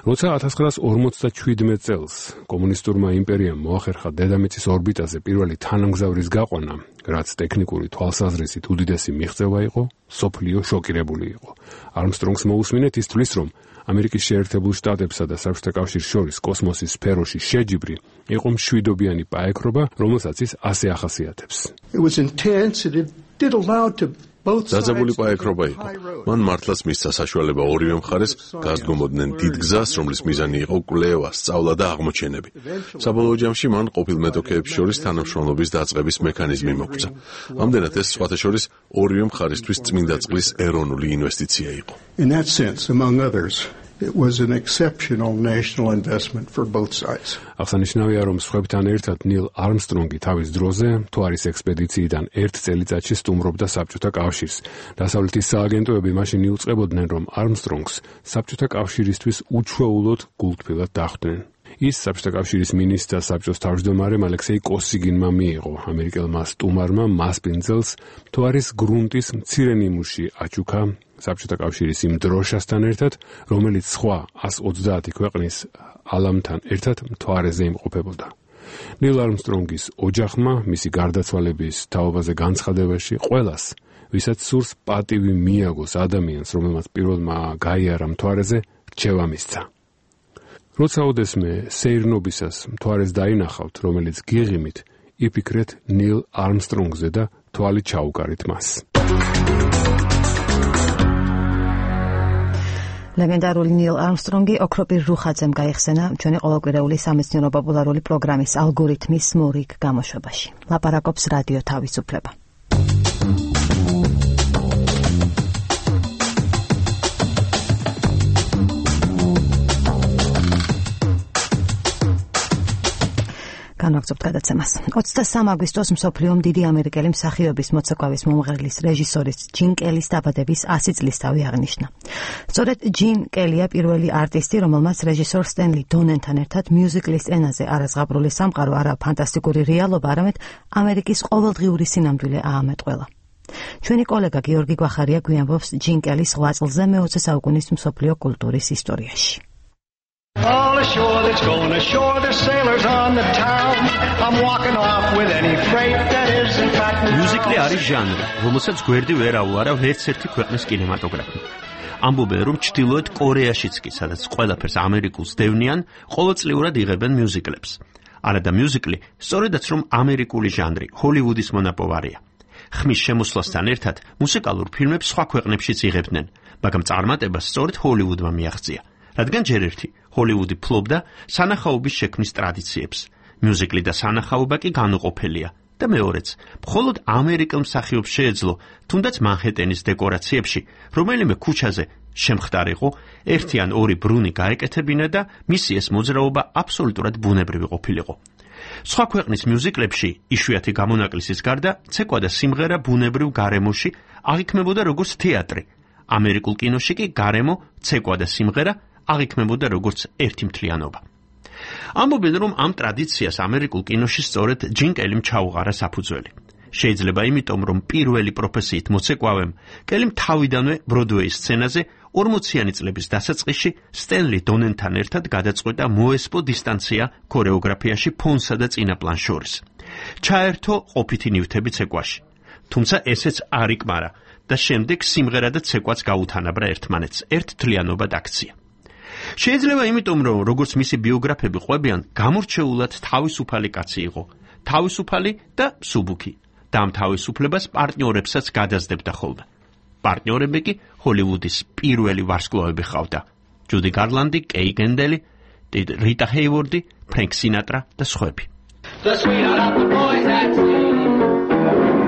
როცა 1947 წელს კომუნისტურმა იმპერიამ მოახერხა დედამიწის ორბიტაზე პირველი თანამგზავრის გაყვანა, რაც ტექნიკური თვალსაზრისით უდიდესი მიღწევა იყო, სოფლიო შოკირებული იყო. არმსტრონგს მოусმინეთ ის თვლის, რომ ამერიკის შეერთებულ შტატებსა და საბჭოთა კავშირს შორის კოსმოსის სფეროში შეჯიბრი იყო მშვიდობიანი პაექრობა, რომელსაც ის ასე ახასიათებს. დაძაბული პაექრობა იყო. მან მართლაც მისცა საშუალება ორივე მხარეს გასდგომოდნენ დიდ გზას, რომლის მიზანი იყო კვლევა, სწავლა და აღმოჩენები. საბოლოო ჯამში მან ყოფილ მეტოქეებს შორის თანამშრომლობის დაწყების მექანიზმი მოგწა. ამდენად ეს სხვათა შორის ორივე მხარისთვის წმინდა წყლის ეროვნული ინვესტიცია იყო. In that sense, among others, it was an exceptional national investment for both sides. აღსანიშნავია, რომ სხვებთან ერთად ნილ არმსტრონგი თავის დროზე მთვარის ექსპედიციიდან 1 წელიწადში სტუმრობდა საბჭოთა კავშირს. დასავლეთის სააგენტოები მაშინ იუწყებოდნენ, რომ არმსტრონგს საბჭოთა კავშირისთვის უჩვეულოდ გულთბილად დახვდნენ. ის საბჭოთა კავშირის მინისტრ და საბჭოს თავმჯდომარემ ალექსეი კოსიგინმა მიიღო. ამერიკელმა სტუმარმა მასპინძელს მთვარის გრუნტის მცირე ნიმუში აჩუქა საბჭოთა კავშირის იმ დროშასთან ერთად, რომელიც სხვა 130 ქვეყნის ალამთან ერთად მთვარეზე იმყოფებოდა. ნილ არმსტრონგის ოჯახმა მისი გარდაცვალების თაობაზე განცხადებაში ყველას, ვისაც სურს პატივი მიაგოს ადამიანს, რომელმაც პირველმა გაიარა მთვარეზე, რჩევა მისცა. როცა ოდესმე სეირნობისას მთვარეს დაინახავთ, რომელიც გიღიმით, იფიქრეთ ნილ არმსტრონგზე და თვალი ჩაუკარით მას. ლეგენდარული ნილ არმსტრონგი ოქროპირ რუხაძემ გაიხსენა ჩვენი ყოველკვირეული სამეცნიერო პოპულარული პროგრამის ალგორითმის მორიგ გამოშვებაში. ლაპარაკობს რადიო თავისუფლება. განვაგრძობთ გადაცემას. 23 აგვისტოს მსოფლიომ დიდი ამერიკელი მსახიობის მოცეკვავის მომღერლის რეჟისორის ჯინ კელის დაბადების 100 წლისთავი აღნიშნა. სწორედ ჯინ კელია პირველი არტისტი, რომელმაც რეჟისორ სტენლი დონენთან ერთად მიუზიკლის ენაზე არაზღაპრული სამყარო, არა ფანტასტიკური რეალობა, არამედ ამერიკის ყოველდღიური სინამდვილე აამეტყველა. ჩვენი კოლეგა გიორგი გვახარია გვიამბობს ჯინ კელის 8 წლზე მე-20 საუკუნის მსოფლიო კულტურის ისტორიაში. All ashore that's going ashore, there's sailors on the town. I'm walking off with any freight that is in fact. Musical არის ჟანრი, რომელსაც გვერდი ვერ აუარავ ერთ-ერთი ქვეყნის კინემატოგრაფი. ამბობენ, რომ ჩრდილოეთ კორეაშიც კი, სადაც ყველაფერს ამერიკულს დევნიან, ყოველწლიურად იღებენ მიუზიკლებს. არადა მიუზიკლი, სწორედაც რომ ამერიკული ჟანრი, ჰოლივუდის მონაპოვარია. ხმის შემოსვლასთან ერთად მუსიკალურ ფილმებს სხვა ქვეყნებშიც იღებდნენ, მაგრამ წარმატებას სწორედ ჰოლივუდმა მიაღწია. რადგან ჯერ ერთი ჰოლივუდი ფლობდა სანახაობის შექმნის ტრადიციებს. მიუზიკლი და სანახაობა კი განუყოფელია. და მეორეც, მხოლოდ ამერიკელ მსახიობს შეეძლო, თუნდაც მანჰეტენის დეკორაციებში, რომელიმე ქუჩაზე შემხდარიყო, ერთი ან ორი ბრუნი გაეკეთებინა და მისი ეს მოძრაობა აბსოლუტურად ბუნებრივი ყოფილიყო. სხვა ქვეყნის მიუზიკლებში, იშვიათი გამონაკლისის გარდა, ცეკვა და სიმღერა ბუნებრივ გარემოში აღიქმებოდა როგორც თეატრი. ამერიკულ კინოში კი გარემო, ცეკვა და სიმღერა აღიქმებოდა როგორც ერთი მთლიანობა. ამბობენ, რომ ამ ტრადიციას ამერიკულ კინოში სწორედ ჯინ კელიმ ჩაუყარა საფუძველი. შეიძლება იმიტომ, რომ პირველი პროფესიით მოცეკვავემ კელიმ თავიდანვე ბროდვეის სცენაზე 40-იანი წლების დასაწყისში სტენლი დონენთან ერთად გადაწყვიტა მოესპო დისტანცია ქორეოგრაფიაში ფონსა და წინაპლანს შორის. ჩაერთო ყოფითი ნივთები ცეკვაში. თუმცა ესეც არ იკმარა და შემდეგ სიმღერა და ცეკვაც გაუთანაბრა ერთმანეთს, ერთ თლიანობად აქცია. შეიძლება იმიტომ, რომ როგორც მისი ბიოგრაფები ყვებიან, გამორჩეულად თავისუფალი კაცი იყო, თავისუფალი და მსუბუქი. და ამ თავისუფლებას პარტნიორებსაც გადაძდებდა ხოლმე. პარტნიორები კი ჰოლივუდის პირველი ვარსკვლავები ხავდა. ჯუდი გარლანდი, კეი გენდელი, რიტა ჰეივორდი, ფრენკ სინატრა და სხვები.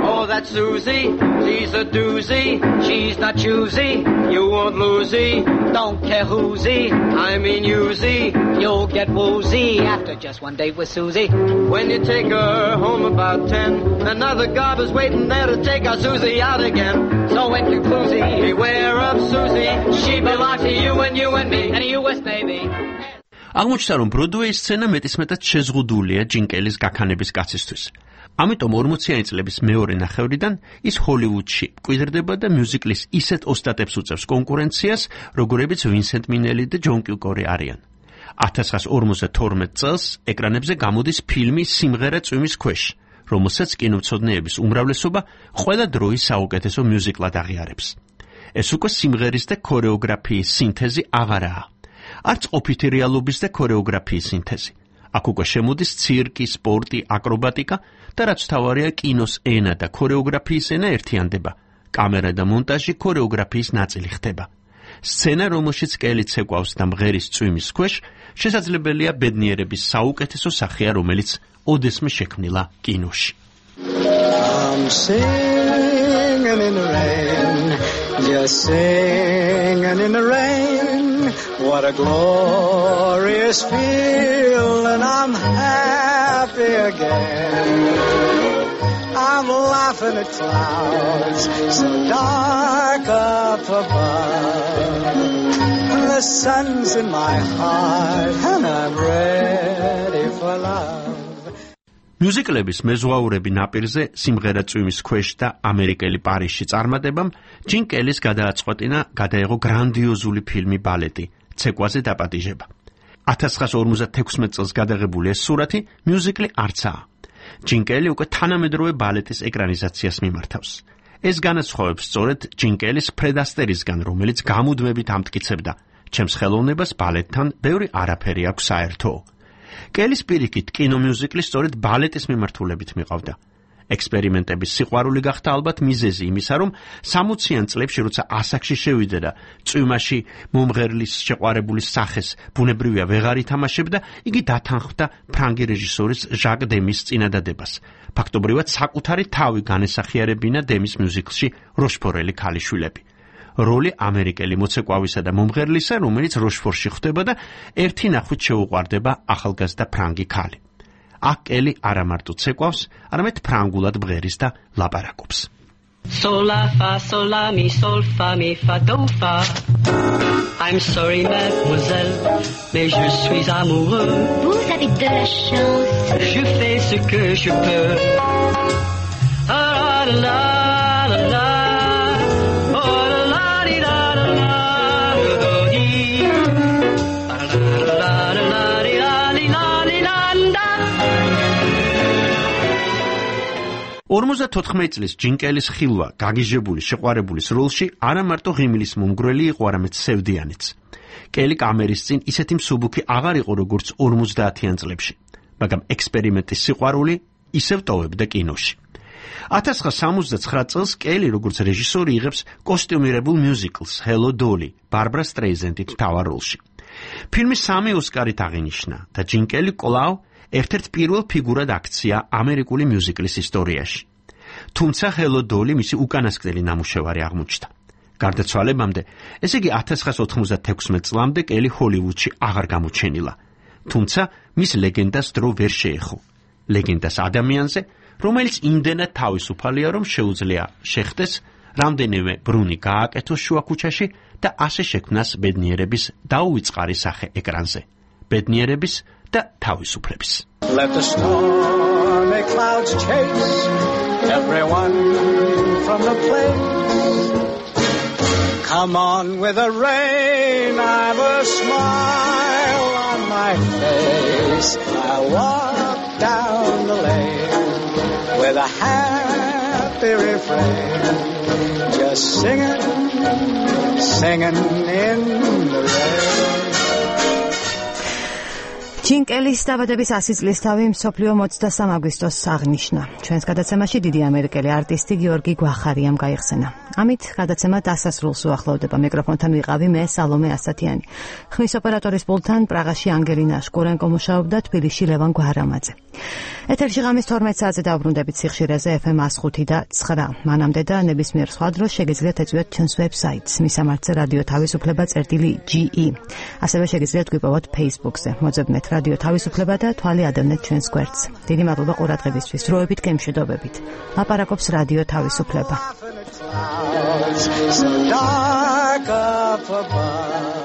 Oh, that's Susie, she's a doozy, she's not choosy, you won't losey, don't care who'sy, I mean you'sy, you'll get woozy after just one date with Susie. When you take her home about 10, another gob is waiting there to take our Susie out again. So in conclusion, beware of Susie, she belongs to you and me, and a US baby. აღმოჩნდა, რომ ბროდვეის სცენა მეტისმეტად შეზღუდულია ჯინ კელის გაქანების კაცისთვის. ამიტომ 40-იანი წლების მეორე ნახევრიდან ის ჰოლივუდში მკვიდრდება და მიუზიკლის ისეთ ოსტატებს უწევს კონკურენციას, როგორებიც ვინსენტ მინელი და ჯონ კიუკორი არიან. 1952 წელს ეკრანებზე გამოდის ფილმი სიმღერა წვიმის ქვეშ, რომელსაც კინომცოდნეების უმრავლესობა ყველა დროის საუკეთესო მიუზიკლად აღიარებს. ეს უკვე სიმღერის და ქორეოგრაფიის სინთეზი აღარაა. არც ყოფითი რეალობის და ქორეოგრაფიის სინთეზი. აქ უკვე შემოდის ცირკი, სპორტი, აკრობატიკა და რაც თავარია კინოს ენა და ქორეოგრაფიის ენა ერთიანდება. კამერა და მონტაჟი ქორეოგრაფიის ნაწილი ხდება. სცენა, რომელშიც კელი ცეკვავს და მღერის წვიმის ქვეშ, შესაძლებელია ბედნიერების საუკეთესო სახეა, რომელიც ოდესმე შექმნილა კინოში. I'm singing in the rain, just singing in the rain. What a glorious feeling, I'm happy again. I'm laughing at clouds so dark up above. The sun's in my heart and I'm ready for love. მიუზიკლების მეზღვაურები ნაპირზე, სიმღერა წვიმის ქვეშ და ამერიკელი პარიზში წარმატებამ ჯინ კელის გადააწყვეტინა გადაეღო გრანდიოზული ფილმი ბალეტი ცეკვაზე დაპატიჟება. 1956 წელს გადაღებული ეს სურათი მიუზიკლი არცაა. ჯინ კელი უკვე თანამედროვე ბალეტის ეკრანიზაციას მიმართავს. ეს განასხვავებს სწორედ ჯინ კელის ფრედ ასტერისგან, რომელიც გამუდმებით ამტკიცებდა, ჩემს ხელოვნებას ბალეტთან ბევრი არაფერი აქვს საერთო. კელის პირიქით კინომიუზიკლი სწორედ ბალეტის მიმართულებით მიყავდა. ექსპერიმენტების სიყვარული გახდა ალბათ მიზეზი იმისა, რომ 60-იან წლებში, როცა ასაკში შევიდა და წვიმაში მომღერლის შეყვარებულის სახეს ბუნებრივია ვეღარ ითამაშებდა, იგი დათანხმდა ფრანგი რეჟისორის ჟაკ დემის წინადადებას. ფაქტობრივად საკუთარი თავი განესახიერებინა დემის მიუზიკლში როშფორელი ქალიშვილები. როლი ამერიკელი მოცეკვავისა და მომღერლისა, რომელიც როშფორში ხვდება და ერთი ნახვით შეუყვარდება ახალგაზრდა ფრანგი ქალი. აქ კელი არა მარტო ცეკვავს, არამედ ფრანგულად ბღერის და ლაპარაკობს. Sol la fa sol la mi sol fa mi fa do fa. I'm sorry mademoiselle, mais je suis amoureux. Vous avez de la chance. Je fais ce que je peux. Ah la la la la. წლის ჯინ კელის ხილვა გაგიჟებული შეყვარებულის როლში არა მარტო ღიმილის მომგვრელი იყო, არამედ სევდიანიც. კელი კამერის წინ ისეთი მსუბუქი აღარ იყო, როგორც 50-იან წლებში, მაგრამ ექსპერიმენტის სიყვარული ისევ ტოვებდა კინოში. 1969 წელს კელი როგორც რეჟისორი იღებს კოსტიუმირებულ მიუზიკლს Hello Dolly, ბარბრა სტრეიზენდით მთავარ როლში. ფილმი 3 ოსკარით აღინიშნა და ჯინ კელი კვლავ ერთ-ერთ პირველ ფიგურად აქცია ამერიკული მიუზიკლის ისტორიაში. თუმცა Hello Dolly მისი უკანასკნელი ნამუშევარი აღმოჩნდა. გარდაცვალებამდე, ესე იგი 1996 წლამდე კელი ჰოლივუდში აღარ გამოჩენილა. თუმცა მის ლეგენდას დრო ვერ შეეხო. ლეგენდას ადამიანზე, რომელიც იმდენად თავისუფალია, რომ შეუძლია შეხდეს რამდენიმე ბრუნი გააკეთოს შუა ქუჩაში და ასე შექმნას ბედნიერების დაუვიწყარი სახე ეკრანზე. ბედნიერების და თავისუფლების. Let the stormy clouds chase everyone from the place. Come on with the rain, I've a smile on my face. I walk down the lane with a happy refrain, just singing, singing in the rain. ჯინ კელის დაბადების 100 წლისთავი მსოფლიო 23 აგვისტოს აღნიშნა. ჩვენს გადაცემაში დიდი ამერიკელი არტისტი გიორგი გვახარიამ გაიხსენა. ამით გადაცემა დასასრულს უახლოვდება. მიკროფონთან ვიყავი მე სალომე ასათიანი. ხმის ოპერატორის პულტთან პრაღაში ანგელინა შკურენკო მუშაობდა, თბილისში ლევან გვარამაძე. ეთერში ღამის 12 საათზე დავბრუნდებით სიხშირეზე FM 105 და 9. მანამდე და ნებისმიერ სხვა დროს შეგიძლიათ ეწვიოთ ჩვენს ვებსაიტს მისამართზე რადიო თავისუფლება.ge. ასევე შეგიძლიათ გვიპოვოთ Facebook-ზე. მოძებნეთ რადიო თავისუფლება და თვალი ადევნეთ ჩვენს გვერდს. დიდი მადლობა ყურადღებისთვის. დროებით გემშვიდობებით. ლაპარაკობს რადიო თავისუფლება. So dark up above.